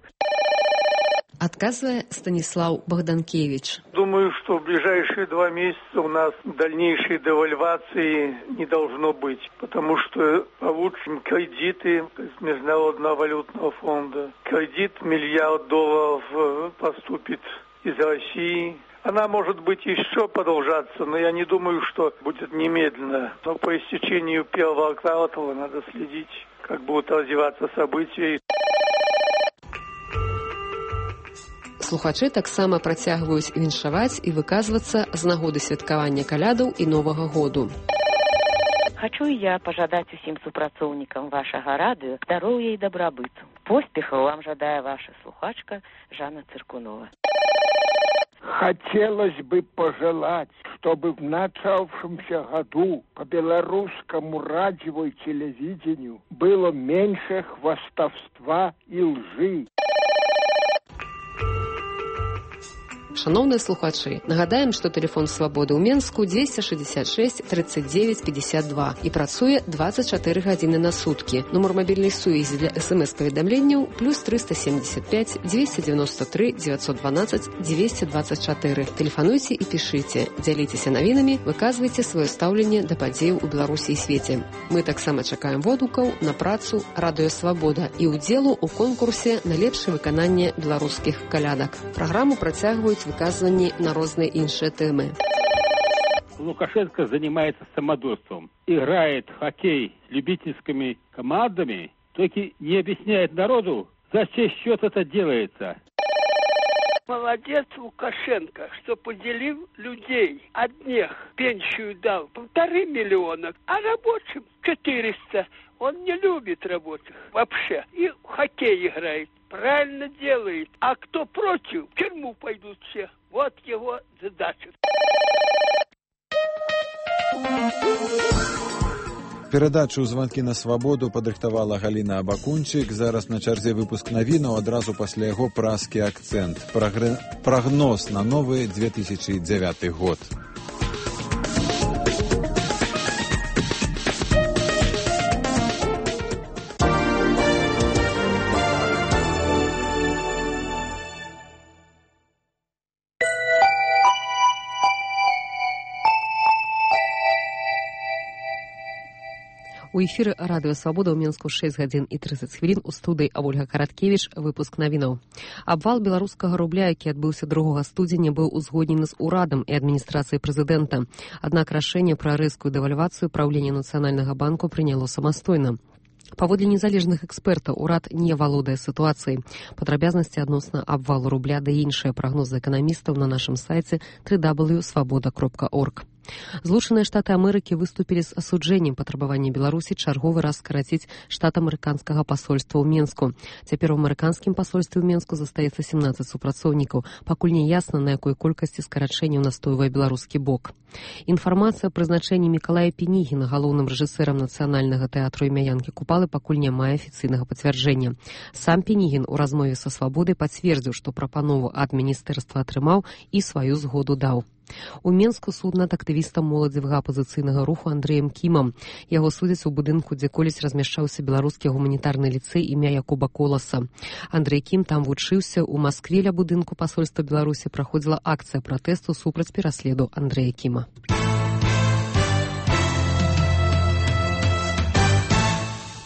Отказывая Станислав Богданкевич. Думаю, что в ближайшие два месяца у нас дальнейшей девальвации не должно быть, потому что получим кредиты из Международного валютного фонда. Кредит миллиард долларов поступит из России. Она может быть еще продолжаться, но я не думаю, что будет немедленно. Но по истечению первого квартала надо следить, как будут развиваться события. Слухачы таксама працягваюць віншаваць і выказвацца з нагоды святкавання калядаў і Новага году. Хочу и я пожадать усім супрацоўнікам вашага радыё здароўя і дабрабыту. Поспехаў вам жадае ваша слухачка Жанна Цыркунова. Хотелось бы пожелать, чтобы в начавшемся году по белорусскому радио и телевидению было меньше хвастовства и лжи. Шановныя слухачы, нагадаем, што тэлефон свабоды ў Менску двести шестьдесят шесть тридцать девять пятьдесят два і працуе двадцать четыре гадзіны на суткі. Нумар мабільнай сувязі для смс-паведамленняў плюс триста семьдесят пять двести девяносто три девятьсот двенадцать двести двадцать четыре. Тэлефануйце і пішыце, дзяліцеся навінамі, выказвайце сваё стаўленне да падзеяў у Беларусі і свеце. Мы таксама чакаем водгукаў на працу Радыё Свабода і ўдзелу ў конкурсе на лепшае выкананне беларускіх калядак. Праграму працягваюць выказванні на розныя іншыя тэмы. Лукашенко занимается самодурством, играет в хоккей с любительскими командами, только не объясняет народу, за чей счет это делается. Молодец Лукашенко, что поделил людей. Одних пенсию дал полторы миллиона, а рабочим четыреста. Он не любит рабочих вообще. И в хоккей играет. Правильно делает. А кто против, в тюрьму пойдут все. Вот его задача. Перадачу «Звонки на свабоду» падрыхтавала Галіна Абакунчык. Зараз на чарзе выпуск навінаў, адразу пасля яго празкі акцэнт. Прагр... Прагноз на новы две тысячи девятый год. У эфіры радыё «Свабода» ў Мінску шэсць гадзін і трыццаць хвілін. У студыі Ольга Караткевіч. Выпуск навінаў. Абвал беларускага рубля, які адбыўся другога студзеня, быў узгоднены з урадам і адміністрацыяй прэзідэнта. Аднак рашэнне пра рэзкую дэвальвацыю праўленне Нацыянальнага банку прыняло самастойна. Паводле незалежных экспертаў, урад не валодае сітуацыяй. Падрабязнасці адносна абвалу рубля ды іншыя прагнозы эканамістаў на нашым сайце дабл ю дабл ю дабл ю крапка свабода крапка орг. Злучаныя Штаты Амерыкі выступілі з асуджэннем патрабавання Беларусі чарговы раз скараціць штат амерыканскага пасольства ў Менску. Цяпер у амерыканскім пасольстве ў Менску застаецца семнаццаць супрацоўнікаў. Пакуль не ясна, на якой колькасці скарачэнняў настойвае беларускі бок. Інфармацыя о прызначэнні Мікалая Пенігіна галоўным рэжысэрам Нацыянальнага тэатру імя Янкі Купалы пакуль не мае афіцыйнага пацвярджэння. Сам Пенігін у размове са «Свабодай» пацвердзіў, што прапанову ад міністэрства атрымаў і сваю згоду даў. У Менску суд над актывістам моладзевага апазіцыйнага руху Андрэем Кімам. Яго судзяць у будынку, дзе колісь размяшчаўся беларускі гуманітарны ліцэй імя Якуба Коласа. Андрэй Кім там вучыўся. У Маскве ля будынку пасольства Беларусі праходзіла акцыя пратэсту супраць пераследу Андрэя Кіма.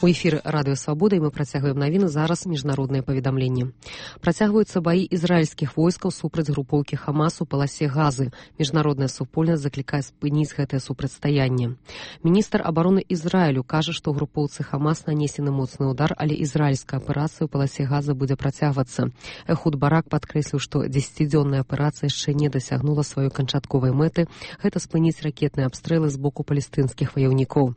У эфіры радыё «Свабода» і мы працягваем навіны. Зараз міжнародныя паведамленні. Працягваюцца баі ізраільскіх войскаў супраць групоўкі Хамас у паласе Газы. Міжнародная супольнасць заклікае спыніць гэтае супрацьстаянне. Міністр абароны Ізраілю кажа, што групоўцы Хамас нанесены моцны ўдар, але ізраільская аперацыя ў паласе Газы будзе працягвацца. Эхуд Барак падкрэсліў, што дзесяцідзённая аперацыя яшчэ не дасягнула сваёй канчатковай мэты. Гэта спыніць ракетныя абстрэлы з боку палестынскіх ваяўнікоў.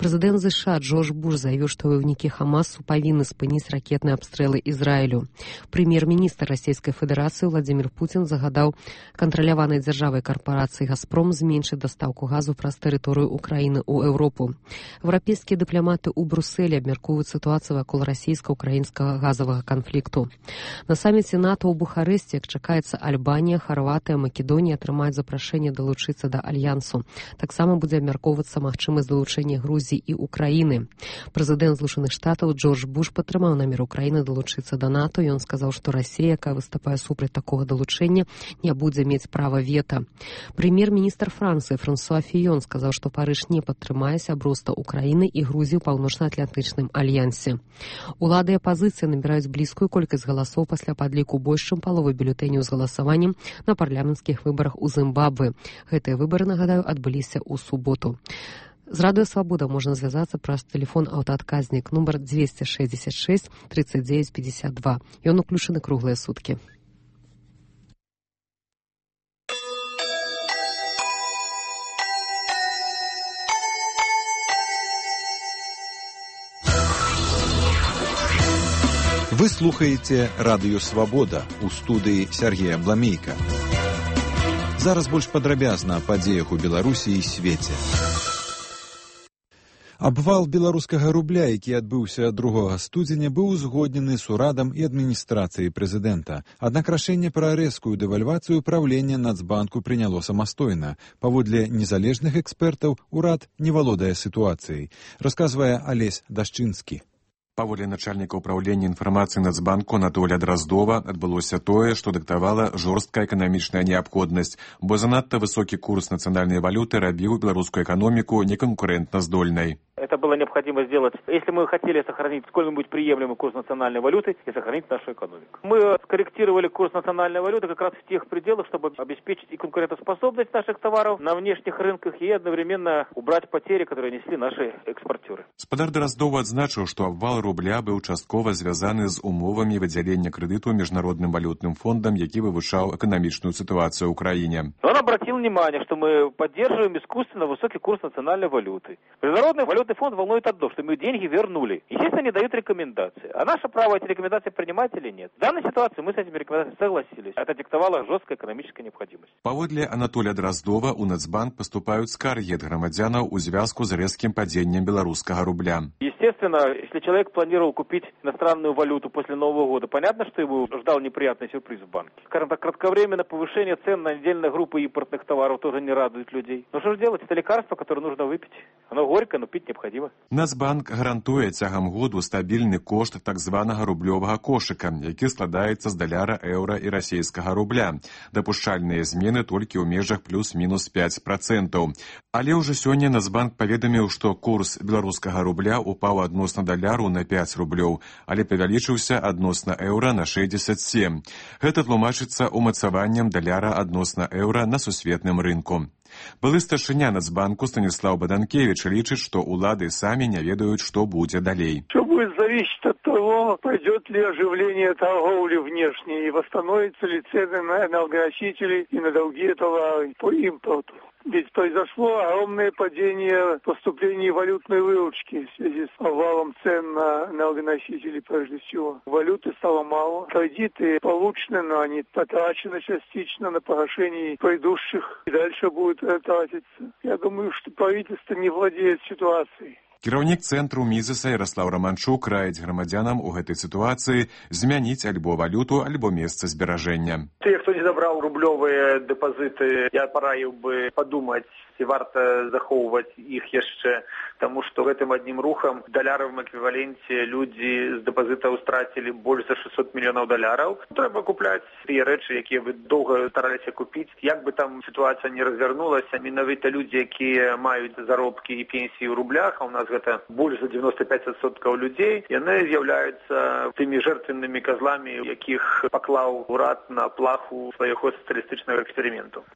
Прэзідэнт ЗША Джордж Буш заявіў, што ваяўнікі Хамасу павінны спыніць ракетныя абстрэлы Ізраілю. Прэм'ер-міністр Расійскай Федэрацыі Владзімір Пуцін загадаў кантраляванай дзяржавай карпорацыі «Газпром» зменшыць дастаўку газу праз тэрыторыю Украіны ў Еўропу. Еўрапейскія дыпламаты ў Брусэлі абмяркоўваюць сітуацыю вакол расійска-украінскага газавага канфлікту. На саміце НАТО ў Бухарэсце, як чакаецца, Альбанія, Харватыя, Македонія атрымаюць запрашэнне далучыцца да альянсу. Таксама будзе абмяркоўвацца магчымасць далучэння Грузіі і Украіны. Прэзідэнт Злучаных Штатаў Джордж Буш падтрымаў намер Украіны далучыцца да НАТО. Ён сказаў, што Расія, якая выступае супраць такога далучэння, не будзе мець права вета. Прэм'ер-міністр Францыі Франсуа Фіён сказаў, што Парыж не падтрымае сяброўства Украіны і Грузіі ў паўночна-атлантычным альянсе. Улады і апазіцыя набіраюць блізкую колькасць галасоў пасля падліку больш чым паловы бюлетэняў з галасаваннем на парламенцкіх выбарах у Зімбабве. Гэтыя выбары, нагадаю, адбыліся ў суботу. З радыё «Свабода» можна звязацца праз тэлефон аўтаадказнік нумар двести шестьдесят шесть тридцать девять пятьдесят два. Ён уключаны круглыя суткі. Вы слухаеце радыё «Свабода» у студыі Сергея Бламейка. Зараз больш падрабязна о падзеях у Беларусі і свеце. Абвал беларускага рубля, які адбыўся другога студзеня, быў узгоднены з урадам і адміністрацыяй прэзідэнта. Аднак рашэнне пра рэзкую дэвальвацыю праўлення Нацбанку прыняло самастойна. Паводле незалежных экспертаў, урад не валодае сітуацыяй, расказвае Алесь Дашчынскі. Паводле начальніка ўправлення інфармацыі Нацбанку Анатолія Драздова адбылося тое, што дыктавала жорсткая эканамічная неабходнасць, бо занадта высокі курс нацыянальнай валюты рабіў беларускую эканоміку неканкурэнтна-здольнай. Это было необходимо сделать, если мы хотели сохранить сколь-нибудь приемлемый курс национальной валюты и сохранить нашу экономику. Мы скорректировали курс национальной валюты как раз в тех пределах, чтобы обеспечить и конкурентоспособность наших товаров на внешних рынках и одновременно убрать потери, которые несли наши экспортеры. Спадар Драздова адзначыў, што абвал рубля быў часткова звязаны з умовамі выдзялення крэдыту Міжнародным валютным фондам, які вывучаў эканамічную ситуацию в Украине. Он обратил внимание, что мы поддерживаем искусственно высокий курс национальной валюты. Международный валютный валютный фонд волнует одно, что мы деньги вернули. Естественно, они дают рекомендации. А наше право эти рекомендации принимать или нет. В данной ситуации мы с этими рекомендациями согласились. Это диктовала жесткая экономическая необходимость. Паводле Анатолия Дроздова у Нацбанк поступают скарги от громадянаў у звязку с резким падением белорусского рубля. Естественно, если человек планировал купить иностранную валюту после Нового года, понятно, что его ждал неприятный сюрприз в банке. Скажем так, кратковременное повышение цен на отдельные группы импортных товаров тоже не радует людей. Но что же делать? Это лекарство, которое нужно выпить. Оно горько, но пить необходимо. Нацбанк гарантуе цягам году стабільны кошт так званага рублёвага кошыка, які складаецца з даляра, еўра і расійскага рубля. Дапушчальныя змены толькі ў межах плюс-мінус пять процентаў. Але ўжо сёння Нацбанк паведаміў, што курс беларускага рубля упаў адносна даляру на пять рублёў, але павялічыўся адносна еўра на шэсцьдзесят сем. Гэта тлумачыцца умацаваннем даляра адносна еўра на сусветным рынку. Былы старшыня Нацбанку Станислав Баданкевич лічыць, што улады самі не ведаюць, што будзе далей. Все будет зависеть от того, пойдет ли оживление торговли внешней и восстановятся ли цены на энергоносители и на другие товары по импорту. Ведь произошло огромное падение поступлений валютной выручки в связи с обвалом цен на энергоносители прежде всего. Валюты стало мало. Кредиты получены, но они потрачены частично на погашение предыдущих. И дальше будет тратиться. Я думаю, что правительство не владеет ситуацией. Кіраўнік цэнтру Мізеса Ярослав Романчук раіць грамадзянам у гэтай сітуацыі змяніць альбо валюту, альбо месца зберажэння. Те, кто не забрал рублевые депозиты, я пораил бы подумать, ці варта захоўваць іх яшчэ, тому что гэтым одним рухом в даляровом эквиваленте люди з депозитаў страцілі больш за шестьсот мільёнаў даляраў. Трэба купляць тыя рэчы, якія вы доўга стараліся купіць. Як бы там ситуация не развернулася, менавіта люди, якія маюць заробкі і пенсіі ў рублях, а у нас гэта больш за девяносто пять процентов людзей, яны з'яўляюцца тымі жертвеннымі козламі, якіх паклаў урад на плаху свайго сацыялістычнага эксперыменту.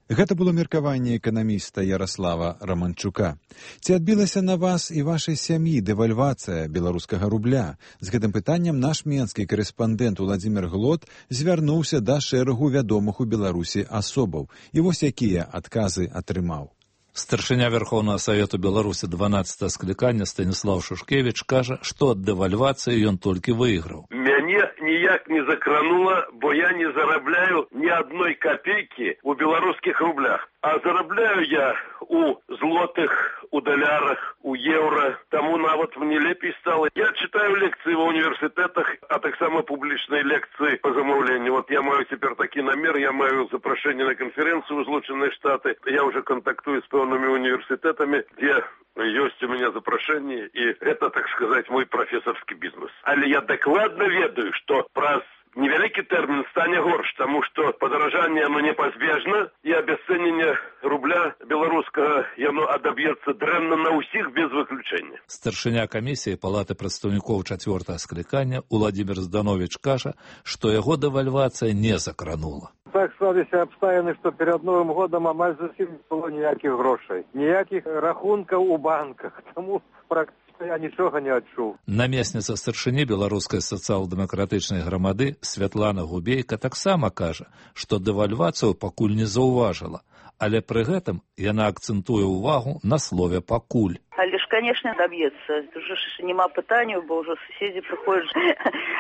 Гэта было меркаванне эканаміста Ярослава Романчука. Ці адбілася на вас і вашай сям'і дэвальвацыя беларускага рубля? З гэтым пытаннем наш менскі корэспандэнт Владзімір Глот звярнуўся да шэрагу вядомых у Беларусі асобаў. І вось якія адказы атрымаў. Старшыня Верховного Совету Беларуси дванадцатого скликания Станислав Шушкевич кажа, што ад дэвальвацыі ён толькі выйграў. Мяне ніяк не закранула, бо я не зарабляю ни одной копейки у белорусских рублях. А зарабляю я у злотых, у долярах, у евро. Тому нават мне лепей стало. Я читаю лекции в университетах, а так само публичные лекции по замовлению. Вот я маю теперь такой намер, я маю запрошение на конференцию в Злученные Штаты. Я уже контактую с певными университетами, где есть у меня запрошение, и это, так сказать, мой профессорский бизнес. Але я докладно ведаю, что праз невялікі тэрмін стане горш, тому что подорожание оно непазбежно, и обесценение рубля белорусского яно адаб'ецца дрэнна на ўсіх без выключения. Старшыня камісіі Палаты прадстаўнікоў чацвёртага склікання Владимир Зданович кажа, што яго дэвальвацыя не закранула. Так склаліся абставіны, што перад Новым годам амаль зусім не было ніякіх грошай, ніякіх рахункаў у банках, таму практычна я нічога не адчуў. Намесніца старшыні беларускай сацыял-дэмакратычнай грамады Святлана Губейка таксама кажа, што дэвальвацыю пакуль не заўважыла, але пры гэтым яна акцэнтуе ўвагу на слове «пакуль». Але ж, конечно, добьется. Уже нема пытанию, бо уже соседи приходят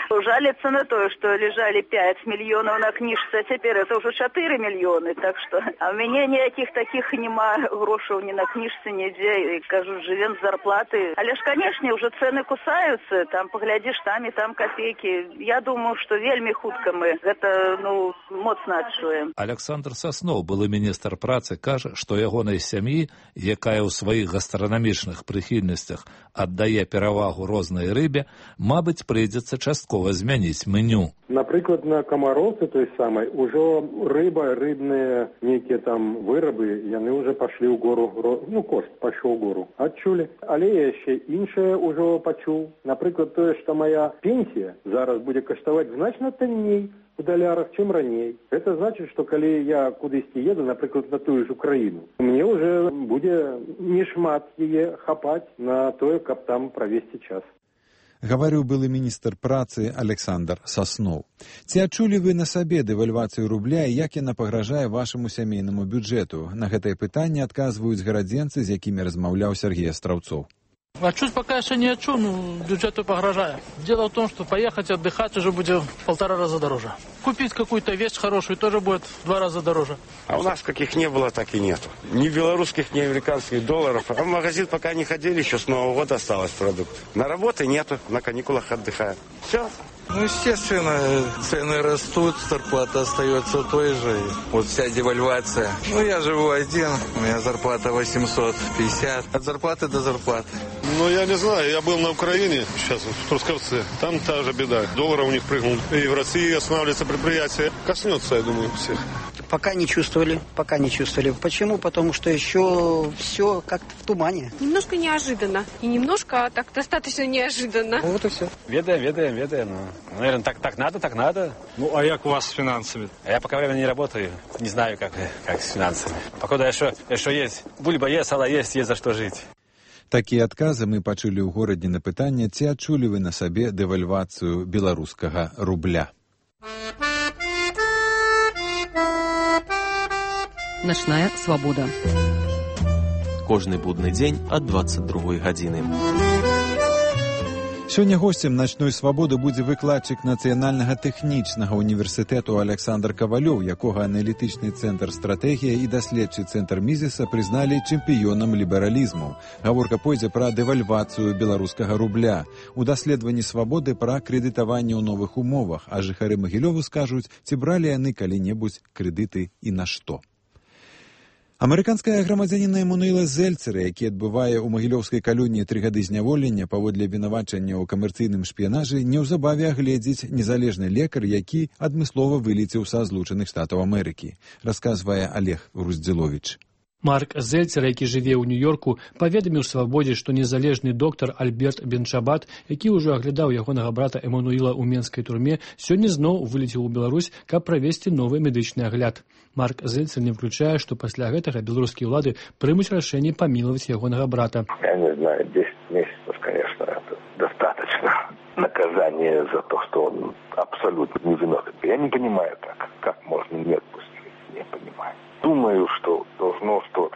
жалятся на то, что лежали пять миллионов на книжце, а теперь это уже четыре миллиона. Так что, а у меня никаких таких нема грошей ни на книжце, нигде. И, кажу, живем с зарплаты. Але ж, конечно, уже цены кусаются. Там поглядишь, там и там копейки. Я думаю, что вельми хутка мы это, ну, моцна адчуем. Александр Соснов, былы міністр працы, кажа, што ягонай сям'і, якая ў сваіх гастранамічных прыхільнасцях аддае перавагу рознай рыбе, мабыць, прыйдзецца часткова змяніць меню. Напрыклад, на камароўцы той самай ужо рыба, рыбныя нейкія там вырабы, яны ўжо пашлі ў гору, ну, кошт пайшоў ў гору. Адчулі. Але яшчэ іншае ўжо пачуў. Напрыклад, тое, што моя пенсія зараз будзе каштаваць значна танней у далярах, чым раней. Это значит, что калі я кудысьці еду, напрыклад, на тую ж Украіну, мне уже будзе не шмат яе хапаць на тое, каб там правесці час. Гаварыў былы міністр працы Александр Соснов. Ці адчулі вы на сабе дэвальвацыю рубля і як яна пагражае вашаму сямейнаму бюджэту? На гэтае пытанне адказваюць гарадзенцы, з якімі размаўляў Сергей Астраўцоў. А чуть пока еще не отчу, ну, бюджету погрожаю. Дело в том, что поехать отдыхать уже будет в полтора раза дороже. Купить какую-то вещь хорошую тоже будет в два раза дороже. А у нас каких не было, так и нету. Ни белорусских, ни американских долларов. А в магазин пока не ходили, еще с Нового года осталось продукт. На работе нету, на каникулах отдыхаем. Все. Ну, естественно, цены растут, зарплата остается той же. Вот вся девальвация. Ну, я живу один, у меня зарплата восемьсот пятьдесят. От зарплаты до зарплаты. Ну, я не знаю, я был на Украине, сейчас в Трускавце. Там та же беда. Доллар у них прыгнул. И в России останавливается предприятие. Коснется, я думаю, всех. Пока не чувствовали, пока не чувствовали. Почему? Потому что еще все как-то в тумане. Немножко неожиданно. И немножко, а так достаточно неожиданно. Вот и все. Ведаем, ведаем, ведаем. Ну, наверное, так, так надо, так надо. Ну, а як у вас с финансами? А я пока время не работаю. Не знаю, как, как с финансами. Пока еще, еще есть. Бульба есть, сало есть, есть за что жить. Такія адказы мы пачулі ў горадзе на пытанне, ці адчулі вы на сабе дэвальвацыю беларускага рубля. Начная свабода. Кожны будны дзень ад дваццаць другой гадзіны. Сёння госцем начной свабоды будзе выкладчык Нацыянальнага тэхнічнага універсітэту Александр Кавалёў, якога аналітычны цэнтр стратэгія і даследчы цэнтр Мізіса прызналі чэмпіёнам лібералізму. Гаворка пойдзе пра дэвальвацыю беларускага рубля. У даследаванні свабоды пра крэдытаванне ў новых умовах, а жыхары Магілёву скажуць, ці бралі яны калі-небудзь крэдыты і на што. Амерыканская грамадзяніна Эммануэла Зельцера, які адбывае ў магілёўскай калоніі тры гады зняволення паводле абвінавачання ў камерцыйным шпіянажы, неўзабаве агледзіць незалежны лекар, які адмыслова вылецеў са Злучаных Штатаў Амерыкі, расказвае Олег Груздзіловіч. Марк Зельцер, які жыве ў Нью-Йорку, паведаміў свабодзе, што незалежны доктар Альберт Бенчабат, які ўжо аглядаў ягонага брата Эммануэла ў менскай турме, сёння зноў вылецеў у Беларусь, каб правесці новы медычны агляд. Марк Зельцер не включае, што пасля гэтага беларускія ўлады прымуць рашэнне памілаваць ягонага брата. Я не знаю, десять месяцев, конечно, это достаточно наказание за то, что он абсолютно невиновен. Я не понимаю так, как можно не отпустить, не понимаю. Думаю, что должно, что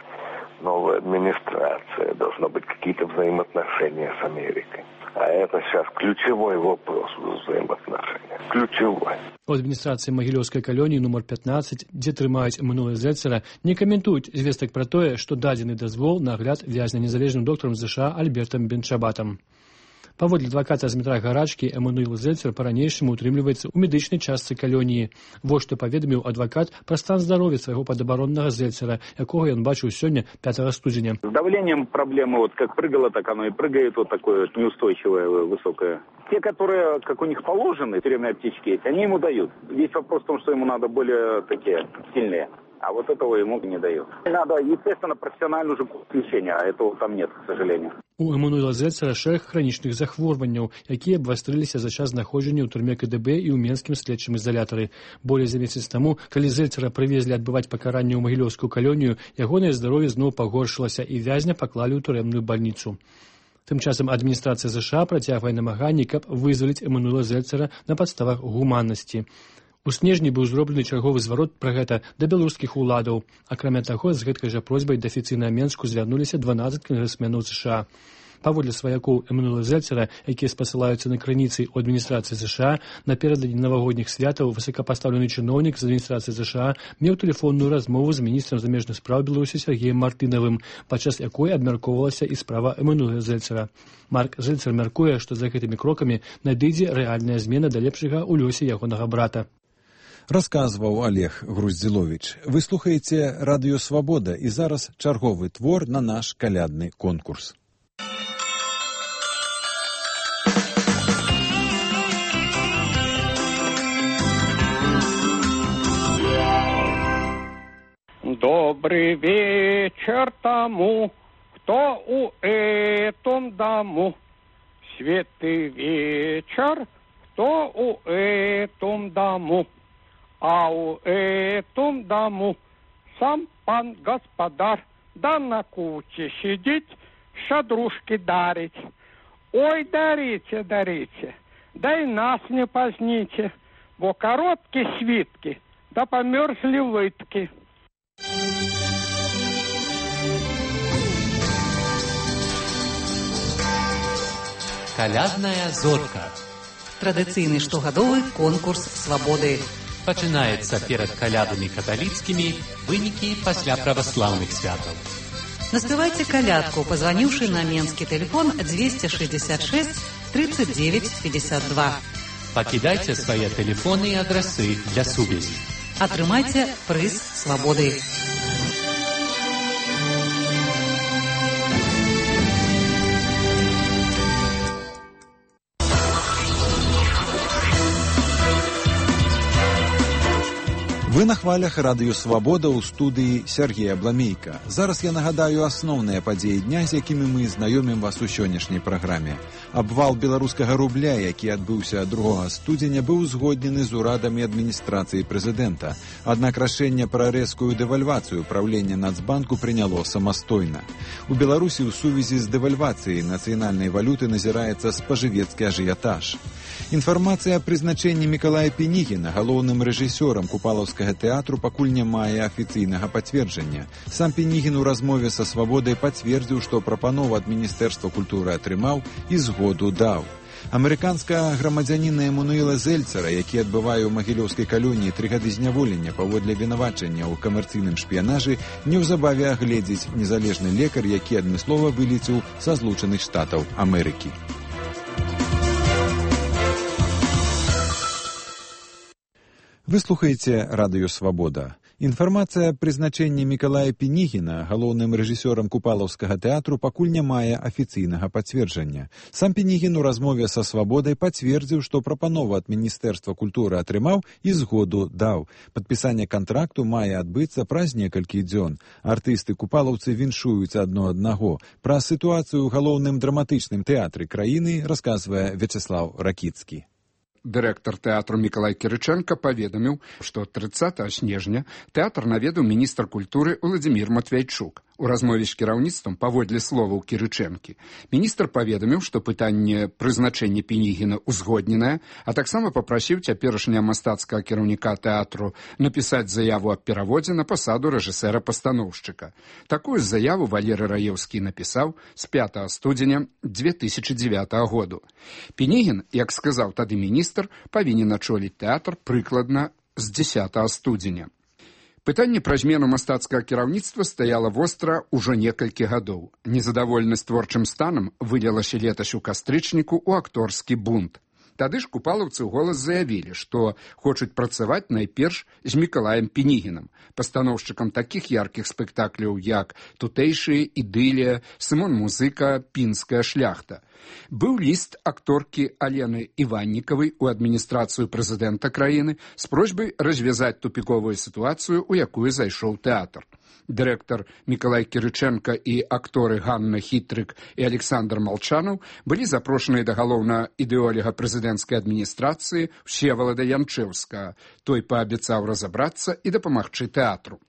новая администрация, должно быть какие-то взаимоотношения с Америкой. А это сейчас ключевой вопрос взаимоотношений. Ключевой. У адміністрацыі магілёўскай калоніі нумар пятнадцать, дзе трымаюць Эммануэла Зельцера, не каментуюць звестак пра тое, што дадзены дазвол на агляд вязня незалежным доктарам ЗША Альбертам Бенчабатам. Паводле адваката з метра Гарачкі, Эммануэл Зельцер па-ранейшаму утрымліваецца ў медычнай частцы калоніі. Вось што паведаміў адвакат пра стан здароўя свайго падабароннага Зельцера, якога ён бачыў сёння пятого студзеня. С давлением проблемы, вот как прыгало, так оно и прыгает, вот такое неустойчивое, высокое. Те, которые, как у них положены, тюремные аптечки, они ему дают. Здесь вопрос в том, что ему надо более такие сильные. А вот этого ему не дают. Надо, естественно, профессиональный уже курс лечения, а этого там нет, к сожалению. У Эммануэла Зельцера шэраг хранічных захворванняў, якія абвастрыліся за час знаходжання ў турме КДБ і ў менскім следчым ізалятары. Болей за месяц таму, калі Зельцера прывезлі адбываць пакаранне ў магілёўскую калонію, ягонае здароўе зноў пагоршылася і вязня паклалі ў турэмную бальніцу. Тым часам адміністрацыя ЗША працягвае намаганні, каб вызваліць Эммануэла Зельцера на падставах гуманнасці. У снежні быў зроблены чарговы зварот пра гэта да беларускіх уладаў. Акрамя таго, з гэткай жа просьбай да афіцыйна Менску звярнуліся дванаццаць кангрэсменаў ЗША. Паводле сваякоў Эммануэла Зельцера, якія спасылаюцца на крыніцы ў адміністрацыі ЗША, наперададні навагодніх святаў высокапастаўлены чыноўнік з адміністрацыі ЗША меў тэлефонную размову з міністрам замежных спраў Беларусі Сергеем Мартынавым, падчас якой абмяркоўвалася і справа Эммануэла Зельцера. Марк Зельцер мяркуе, што за гэтымі крокамі надыдзе рэальная змена да лепшага ў лёсе ягонага брата. Расказваў Олег Груздзіловіч. Вы слухаеце Радыё Свабода, і зараз чарговы твор на наш калядны конкурс. Добрый вечер тому, кто у этом дому. Светлый вечер, кто у этом дому. А у этом дому сам пан господар, да на куче сидеть, шадрушки дарить. Ой, дарите, дарите, да и нас не поздните, бо короткие свитки, да померзли лытки. Калядная зорка. Традыцыйны штогадовы конкурс свабоды. Пачынаецца перад калядамі каталіцкімі, вынікі пасля праваслаўных святаў. Наспявайце калядку, пазваніўшы на менскі тэлефон двести шестьдесят шесть тридцать девять пятьдесят два. Пакідайце свае тэлефоны і адрасы для сувязі. Атрымайце прыз свабоды. Вы на хвалях радыё «Свабода» ў студыі Сергея Бламейка. Зараз я нагадаю асноўныя падзеі дня, з якімі мы знаёмім вас у сённяшняй праграме. Абвал беларускага рубля, які адбыўся другога студзеня, быў узгоднены з урадам і адміністрацыяй прэзідэнта. Аднак рашэнне пра рэзкую дэвальвацыю правлення Нацбанку прыняло самастойна. У Беларусі ў сувязі з дэвальвацыяй нацыянальнай валюты назіраецца спажывецкі ажыятаж. Інфармацыя аб прызначэнні Мікалая Пінігіна галоўным рэжысёрам Купалаўскага тэатру пакуль не мае афіцыйнага пацверджання. Сам Пінігін у размове са «Свабодай» пацвердзіў, што прапанову ад Міністэрства культуры атрымаў і згоду даў. Амерыканскага грамадзяніна Эмануэла Зельцера, які адбывае ў магілёўскай калоніі тры гады зняволення паводле вінавачання ў камерцыйным шпіянажы, неўзабаве агледзіць незалежны лекар, які адмыслова вылецеў са Злучаных Штатаў Амерыкі. Вы слухаеце радыё «Свабода». Інфармацыя аб прызначэнні Мікалая Пінігіна галоўным рэжысёрам Купалаўскага тэатру пакуль не мае афіцыйнага пацверджання. Сам Пінігін у размове са «Свабодай» пацвердзіў, што прапанову ад Міністэрства культуры атрымаў і згоду даў. Падпісанне кантракту мае адбыцца праз некалькі дзён. Артысты-купалаўцы віншуюць адно аднаго. Пра сітуацыю ў галоўным драматычным тэатры краіны расказвае Вячеслаў Ракіцкі. Дырэктар тэатру Мікалай Кірычэнка паведаміў, што трыццатага снежня тэатр наведаў міністр культуры Уладзімір Матвейчук. У размове з кіраўніцтвам паводле словаў Кірычэнкі міністр паведаміў, што пытанне прызначэння Пінігіна ўзгодненае, а таксама папрасіў цяперашняга мастацкага кіраўніка тэатру напісаць заяву аб пераводзе на пасаду рэжысэра-пастаноўшчыка. Такую заяву Валерый Раеўскі напісаў з пятага студзеня две тысячы дзевятага году. Пінігін, як сказаў тады міністр, павінен ачоліць тэатр прыкладна з дзесятага студзеня. Пытанне пра змену мастацкага кіраўніцтва стаяла востра ўжо некалькі гадоў. Незадаволенасць творчым станам вылілася летась у кастрычніку ў акторскі бунт. Тады ж купалаўцы ў голас заявілі, што хочуць працаваць найперш з Мікалаем Пінігінам, пастаноўшчыкам такіх яркіх спектакляў, як «Тутэйшыя», «Ідылія», «Сымон Музыка», «Пінская шляхта». Быў ліст акторкі Алены Іваннікавай у адміністрацыю прэзідэнта краіны з просьбай развязаць тупіковую сітуацыю, у якую зайшоў тэатр. Дырэктар Мікалай Кірычэнка і акторы Ганна Хітрык і Александр Малчанаў былі запрошаныя да галоўнага ідэолага прэзідэнцкай адміністрацыі Всевалада Янчэўскага. Той паабяцаў разабрацца і дапамагчы тэатру.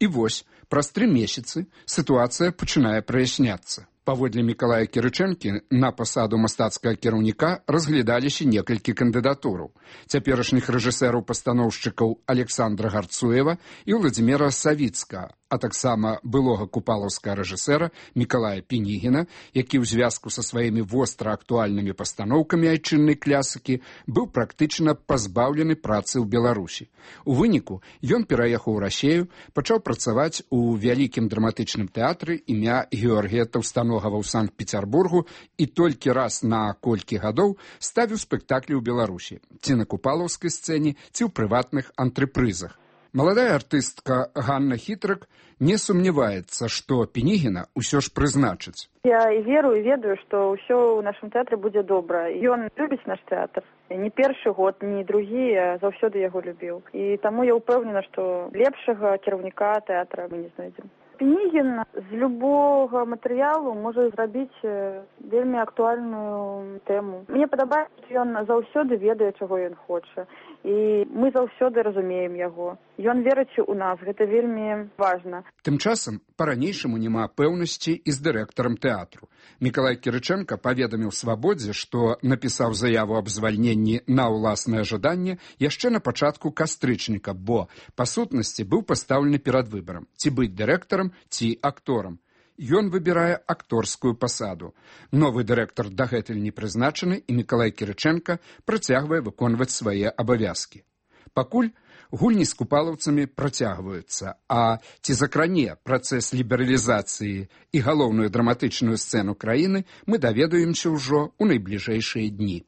І вось, праз тры месяцы сітуацыя пачынае праясняцца. Паводле Мікалая Кірычэнкі на пасаду мастацкага кіраўніка разглядаліся некалькі кандыдатураў. Цяперашніх рэжысэраў-пастаноўшчыкаў Александра Гарцуева і Владзіміра Савіцкага, а таксама былога купалаўскага рэжысэра Мікалая Пінігіна, які ў звязку са сваімі востра актуальнымі пастаноўкамі айчыннай класікі быў практычна пазбаўлены працы ў Беларусі. У выніку ён пераехаў у Расею, пачаў працаваць у вялікім драматычным тэатры імя Георгія Таўстаногава ў Санкт-Пецярбургу і толькі раз на колькі гадоў ставіў спектаклі ў Беларусі, ці на купалаўскай сцэне, ці ў прыватных антрепрызах. Маладая артыстка Ганна Хітрык не сумняваецца, што Пінігіна ўсё ж прызначыць. Я і веру, і ведаю, што ўсё ў нашым тэатры будзе добра. Ён любіць наш тэатр. Не першы год, ні другі, а заўсёды яго любіў. І таму я ўпэўнена, што лепшага кіраўніка тэатра мы не знойдзем. Пінігін з любога матэрыялу можа зрабіць вельмі актуальную тэму. Мне падабаецца, што ён заўсёды ведае, чаго ён хоча. І мы заўсёды разумеем яго. Ён верыць у нас, гэта вельмі важна. Тым часам па-ранейшаму няма пэўнасці і з дырэктарам тэатру. Мікалай Кірычэнка паведаміў «Свабодзе», што напісаў заяву аб звальненні на ўласнае жаданне яшчэ на пачатку кастрычніка, бо, па сутнасці, быў пастаўлены перад выбарам, ці быць дырэктарам, ці акторам. Ён выбірае акторскую пасаду. Новы дырэктар дагэтуль не прызначаны, і Мікалай Кірычэнка працягвае выконваць свае абавязкі. Пакуль гульні з купалаўцамі працягваюцца, а ці закране працэс лібералізацыі і галоўную драматычную сцэну краіны, мы даведаемся ўжо ў найбліжэйшыя дні.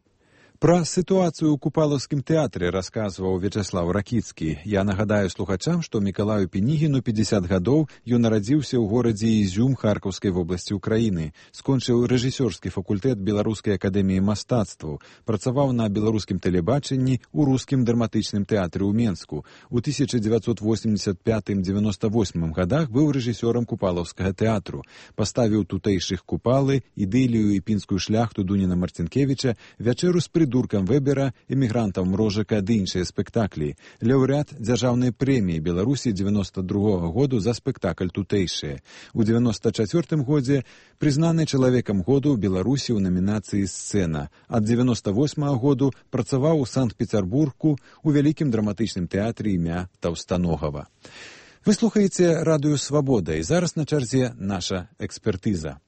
Пра сітуацыю ў купалаўскім тэатры расказваў Вячаслаў Ракіцкі. Я нагадаю слухачам, што Мікалаю Пінігіну пятьдесят гадоў, ён нарадзіўся ў горадзе Ізюм Харкаўскай вобласці ўкраіны. Скончыў рэжысёрскі факультэт Беларускай акадэміі мастацтваў, працаваў на беларускім тэлебачанні ў рускім драматычным тэатры ў Менску. У тысяча дзевяцьсот восемьдесят пятым — девяносто восьмым гадах быў рэжысёрам купалаўскага тэатру. Паставіў тутэйшых Купалы, Ідылію і пінскую шляхту Дуніна Марцінкевіча, Вячэру з прыдуркам Вебера, эмігрантам Мрожака ды іншыя спектаклі. Лаўрэат дзяржаўнай прэміі Беларусі девяносто другога году за спектакль тутэйшыя. У девяносто чацвёртым годзе прызнаны чалавекам году ў Беларусі ў намінацыі «Сцэна». Ад девяносто восьмага году працаваў у Санкт-Пецярбургу у вялікім драматычным тэатры імя Таўстаногава. Вы слухаеце радыё «Свабода», і зараз на чарзе наша экспертыза.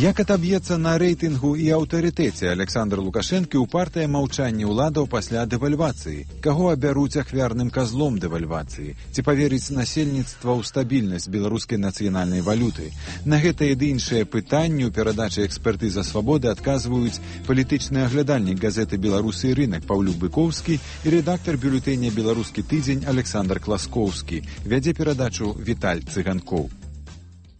Як атаб'ецца на рэйтынгу і аўтарытэце Александр Лукашэнкі ў партыя маўчання ўладаў пасля дэвальвацыі? Каго абяруць ахвярным казлом дэвальвацыі? Ці паверыць насельніцтва ў стабільнасць беларускай нацыянальнай валюты? На гэтыя ды іншыя пытанні ў перадачы «Экспертыза свабоды» адказваюць палітычны аглядальнік газеты «Беларусы і рынак» Паўлюк Быкоўскі і рэдактар бюлетэня «Беларускі тыдзень» Александр Класкоўскі. Вядзе перадачу Віталь Цыганкоў.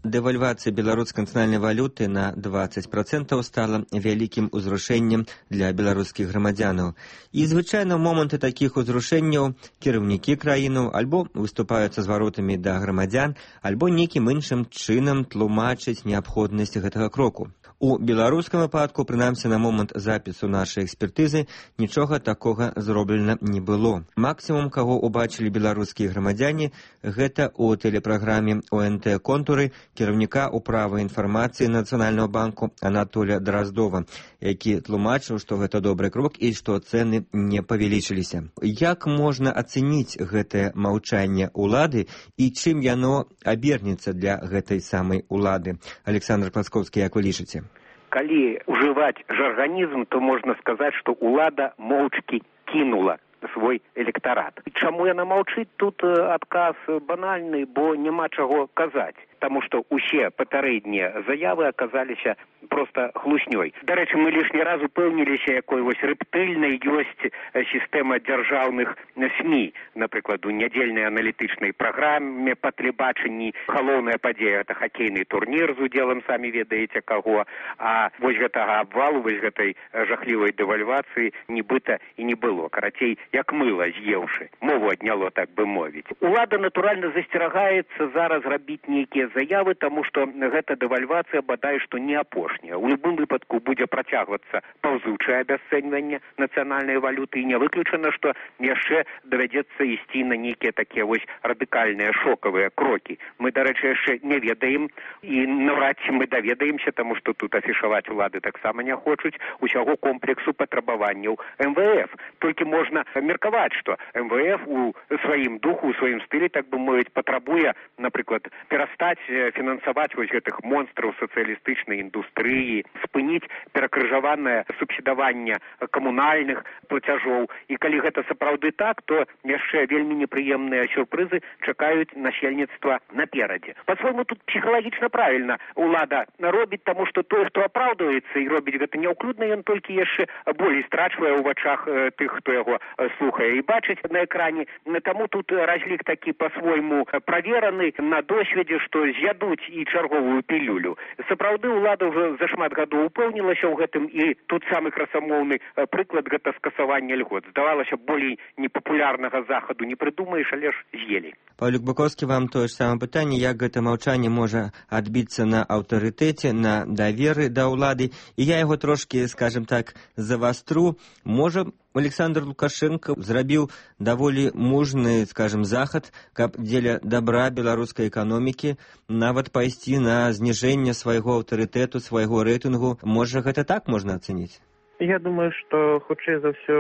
Дэвальвацыя беларускай нацыянальнай валюты на двадцать процентаў стала вялікім узрушэннем для беларускіх грамадзянаў. І звычайна ў моманты такіх узрушэнняў кіраўнікі краінаў альбо выступаюць са зваротамі да грамадзян, альбо нейкім іншым чынам тлумачаць неабходнасць гэтага кроку. У беларускім выпадку, прынамсі на момант запісу нашай экспертызы, нічога такога зроблена не было. Максімум, каго ўбачылі беларускія грамадзяне, гэта ў тэлепраграме О Н Т «Контуры» кіраўніка ўправы інфармацыі Нацыянальнага банку Анатолія Драздова, які тлумачыў, што гэта добры крок і што цэны не павялічыліся. Як можна ацэніць гэтае маўчанне ўлады і чым яно абернецца для гэтай самай улады? Александр Класкоўскі, як вы лічыце? Калі ўжываць жарганізм, то можна сказаць, што ўлада моўчкі кінула свой электарат. Чаму яна маўчыць? Тут адказ банальны, бо няма чаго казаць. Таму што ўсе папярэднія заявы аказаліся проста хлуснёй. Дарэчы, мы лішні раз упэўніліся, якой вось рэптыльнай ёсць сістэма дзяржаўных СМІ. Напрыклад, у нядзельнай аналітычнай праграме па тэлебачанні галоўная падзея — гэта хакейны турнір з удзелам самі ведаеце каго, а вось гэтага абвалу, вось гэтай жахлівай дэвальвацыі нібыта і не было. Карацей, як мыла з'еўшы. Мову адняло, так бы мовіць. Улада, натуральна, засцерагаецца зараз рабіць нейкія заявы, таму што гэта дэвальвацыя бадай што не апошняя. У любым выпадку будзе працягвацца паўзучае абясцэньванне нацыянальнай валюты, і не выключана, што яшчэ давядзецца ісці на нейкія такія вось радыкальныя шокавыя крокі. Мы, дарэчы, яшчэ не ведаем, і наўрад ці мы даведаемся, таму што тут афішаваць улады таксама не хочуць усяго комплексу патрабаванняў эм вэ эф. Толькі можна меркаваць, што эм вэ эф у сваім духу, у сваім стылі, так бы мовіць, патрабуе, напрыклад, перастаць фінансаваць вось гэтых монстраў сацыялістычнай індустрыі, спыніць перакрыжаванае субсідаванне камунальных плацяжоў. І калі гэта сапраўды так, то яшчэ вельмі непрыемныя сюрпрызы чакаюць насельніцтва наперадзе. Па-свойму, тут псіхалагічна правільна улада робіць, таму што той, хто апраўдваецца і робіць гэта няўклюдна, ён толькі яшчэ болей страчвае ў вачах тых, хто яго слухае і бачыць на экране. Таму тут разлік такі па-свойму правераны на досведзе, што з'ядуць і чарговую пілюлю. Сапраўды, улада ўжо за шмат гадоў упэўнілася ў гэтым, і тут самы красамоўны прыклад — гэта скасаванне льгот. Здавалася, болей непапулярнага захаду не прыдумаеш, але ж з'елі. Паўлюк Быкоўскі, вам тое ж самае пытанне, як гэта маўчанне можа адбіцца на аўтарытэце, на даверы да ўлады, і я яго трошкі, скажем так, завастру. Можа, Александр Лукашенко зрабіў даволі мужны, скажем, захад, каб дзеля добра беларускай эканомікі нават пайсці на зніжэнне свайго аўтарытэту, свайго рэйтынгу. Можа, гэта так можна ацэніць? Я думаю, што хутчэй за ўсё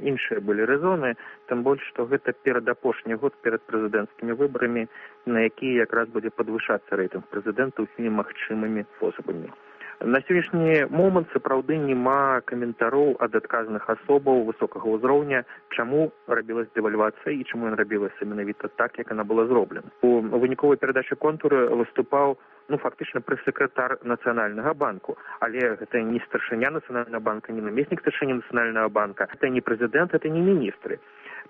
іншыя былі рэзоны, тым больш, што гэта перадапошні год перад прэзідэнцкімі выбарамі, на якія якраз будзе падвышацца рэйтынг прэзідэнта ўсімі магчымымі спосабамі. На сённяшні момант сапраўды няма каментароў ад адказных асобаў высокага ўзроўня, чаму рабілась дэвальвацыя і чаму ён рабілася менавіта так, як яна была зроблена. У выніковай перадачы контуры выступаў ну, фактычна прэс-сакратар Нацыянальнага банку. Але гэта не старшыня Нацыянальнага банка, не намеснік старшыні Нацыянальнага банка, гэта не прэзідэнт, гэта не міністры.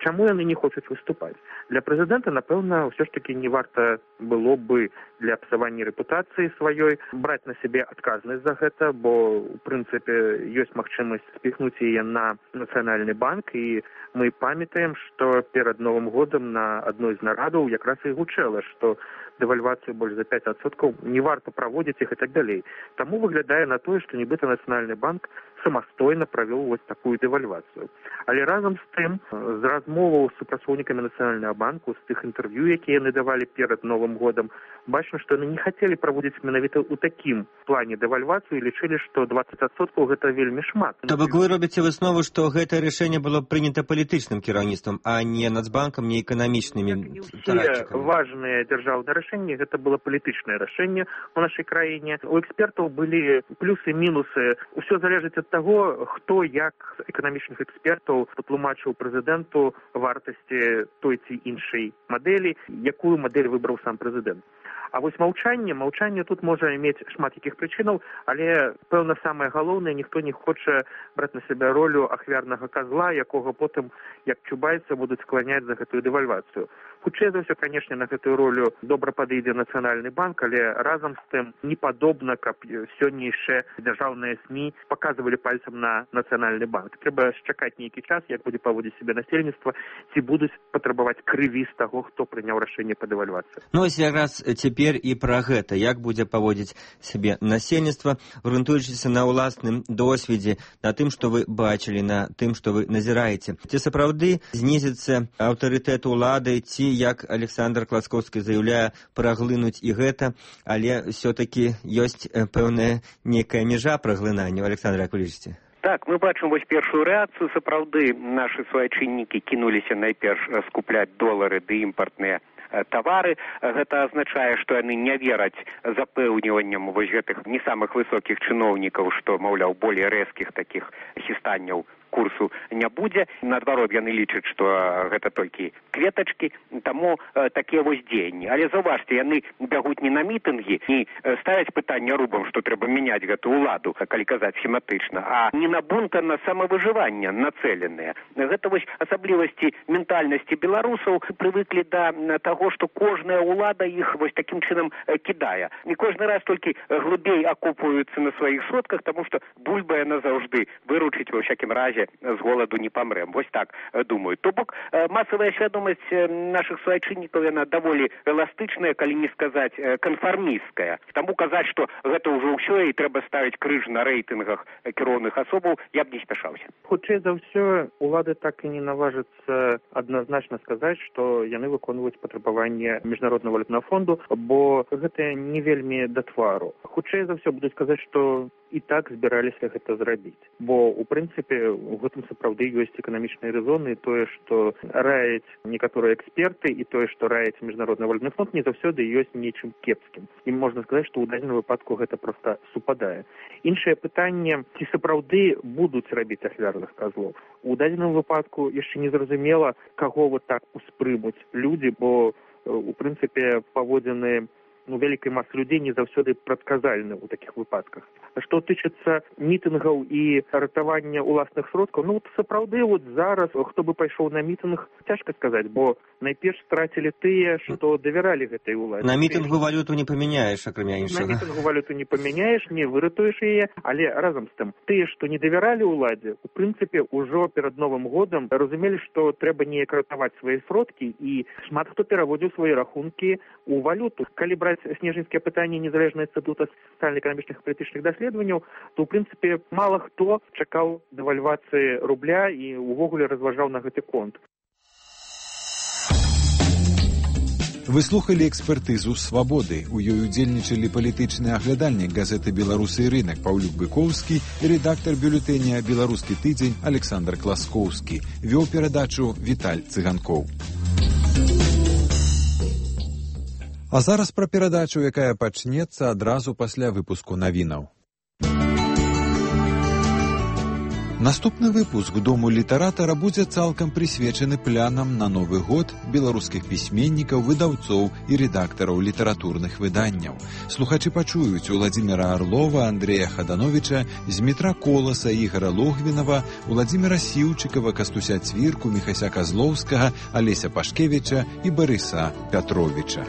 Чаму яны не хочуць выступаць? Для прэзідэнта, напэўна, ўсё ж такі не варта было бы для псавання рэпутацыі сваёй браць на сябе адказнасць за гэта, бо, у прынцыпе, ёсць магчымасць спіхнуць яе на Нацыянальны банк, і мы памятаем, што перад Новым годам на адной з нарадаў якраз і гучэла, што дэвальвацыю больш за пяць адсоткаў не варта праводзіць іх і так далей. Таму выглядае на тое, што нібыта Нацыянальны банк самастойна правёў вось такую дэвальвацыю. Але разам з тым, з размоваў з супрацоўнікамі Нацыянальнага банку, з тых інтэрв'ю, якія яны давалі перад Новым годам, бачна, што яны не хацелі праводзіць менавіта ў такім плане дэвальвацыю і лічылі, што дваццаць адсоткаў гэта вельмі шмат. То бок вы робіце выснову, што гэтае рашэнне было прынята палітычным кіраўніцтвам, а не Нацбанкам, не эканамічнымі тарадчыкамі. Все важныя дзяржаўныя рашэнні, гэта было палітычнае рашэнне ў нашай краіне. У экспертаў былі плюсы, мінусы. Усё залежыць ад таго, хто як з эканамічных экспертаў патлумачыў прэзідэнту вартасці той ці іншай мадэлі, якую мадэль выбраў сам прэзідэнт. А вось маўчанне, маўчанне тут можа мець шмат якіх прычынаў, але, пэўна, самае галоўнае, ніхто не хоча браць на сябе ролю ахвярнага казла, якога потым, як чубайца, будуць скланяць за гэтую дэвальвацыю. Хутчэй за ўсё, канешне, на гэтую ролю добра падыдзе Нацыянальны банк, але разам з тым не падобна, каб сённяшнія дзяржаўныя СМІ паказвалі пальцам на Нацыянальны банк. Трэба чакаць нейкі час, як будзе паводзіць сябе насельніцтва, ці будуць патрабаваць крыві з таго, хто прыняў рашэнне па дэвальвацыі. Ну, ось якраз цяпер і пра гэта, як будзе паводзіць сябе насельніцтва, грунтуючыся на ўласным досведзе, на тым, што вы бачылі, на тым, што вы назіраеце. Ці сапраўды знізіцца аўтарытэт улады, ці, як Александр Класкоўскі заяўляе, праглынуць і гэта, але ўсё-такі ёсць пэўная некая мяжа праглынання. Александр, як вы лічыце? Так, мы бачым вось першую рэакцыю. Сапраўды нашы суайчыннікі кінуліся найперш скупляць долары ды імпартныя тавары. Гэта азначае, што яны не вераць запэўніванням вось гэтых не самых высокіх чыноўнікаў, што, маўляў, болей рэзкіх такіх хістанняў курсу не будзе. Наадварот, яны лічаць, што гэта толькі кветачкі, таму э, такія вось дзеянні. Але заўважце, яны бягуць не на мітынгі, не ставяць пытанне рубам, што трэба мяняць гэту ўладу, калі казаць схематычна, а не на бунт, а на самавыжыванне нацэленыя. Гэта вось асаблівасці ментальнасці беларусаў прывыклі да таго, што кожная ўлада іх вось такім чынам кідае. Не кожны раз толькі глыбей акопваюцца на сваіх сродках, таму што бульба яна заўжды выручыць ва ўсякім разе з голаду не памрэм. Вось так думаю. То бок масавая свядомасць нашых суайчыннікаў яна даволі эластычная, калі не сказаць канфармісцкая. Таму казаць, што гэта ўжо ўсё і трэба ставіць крыж на рэйтынгах кіроўных асобаў, я б не спяшаўся. Хутчэй за ўсё, улады так і не наважацца адназначна сказаць, што яны выконваюць патрабаванне міжнароднага валютнага фонду, бо гэта не вельмі да твару. Хутчэй за ўсё будуць казаць, што і так збіраліся гэта зрабіць. Бо, у прынцыпе, у гэтым сапраўды ёсць эканамічныя рэзоны, і тое, што раяць некаторыя эксперты, і тое, што раяць міжнародны валютны фонд, не заўсёды ёсць нечым кепскім. І можна сказаць, што ў дадзеным выпадку гэта проста супадае. Іншае пытанне, ці сапраўды будуць рабіць ахвярных казлоў. У дадзеным выпадку яшчэ не зразумела, каго вот так успрымуць людзі, бо, у прынцыпе, паводзіны ну, вялікай масы людзей не заўсёды прадказальны ў такіх выпадках. Што тычыцца мітынгаў і ратавання ўласных сродкаў, ну, сапраўды, вот зараз, хто бы пайшоў на мітынг, цяжка сказаць, бо найперш страцілі тыя, што давяралі гэтай уладзе. На мітынгу валюту не памяняеш, акрамя іншага. На мітынгу валюту не памяняеш, не выратуеш яе, але разам з тым, тыя, што не давяралі ўладзе, у прынцыпе, ужо перад Новым годам разумелі, што трэба неяк ратаваць свае сродкі, і шмат хто пераводзіў свае рахункі ў валюту. Калі браць снежаньскія пытанні незалежнага інстытута сацыяльна-эканамічных і палітычных даследаванняў, то, ў прынцыпе, мала хто чакаў дэвальвацыі рубля і ўвогуле разважаў на гэты конт. Вы слухали экспертызу «Свабоды». У ёй удзельнічалі палітычны аглядальнік газеты «Беларусы і рынак» Паўлюк Быкоўскі і рэдактар бюлетэня «Беларускі тыдзень» Александр Класкоўскі. Вёў перадачу Віталь Цыганкоў. А зараз пра перадачу, якая пачнецца адразу пасля выпуску навінаў. Наступны выпуск Дому літаратара будзе цалкам прысвечаны планам на Новы год беларускіх пісьменнікаў, выдаўцоў і рэдактараў літаратурных выданняў. Слухачы пачуюць Уладзіміра Арлова, Андрэя Хадановіча, Змітра Коласа, Ігара Логвінава, Уладзіміра Сіўчыкава, Кастуся Цвірку, Міхася Казлоўскага, Алеся Пашкевіча і Барыса Пятровіча.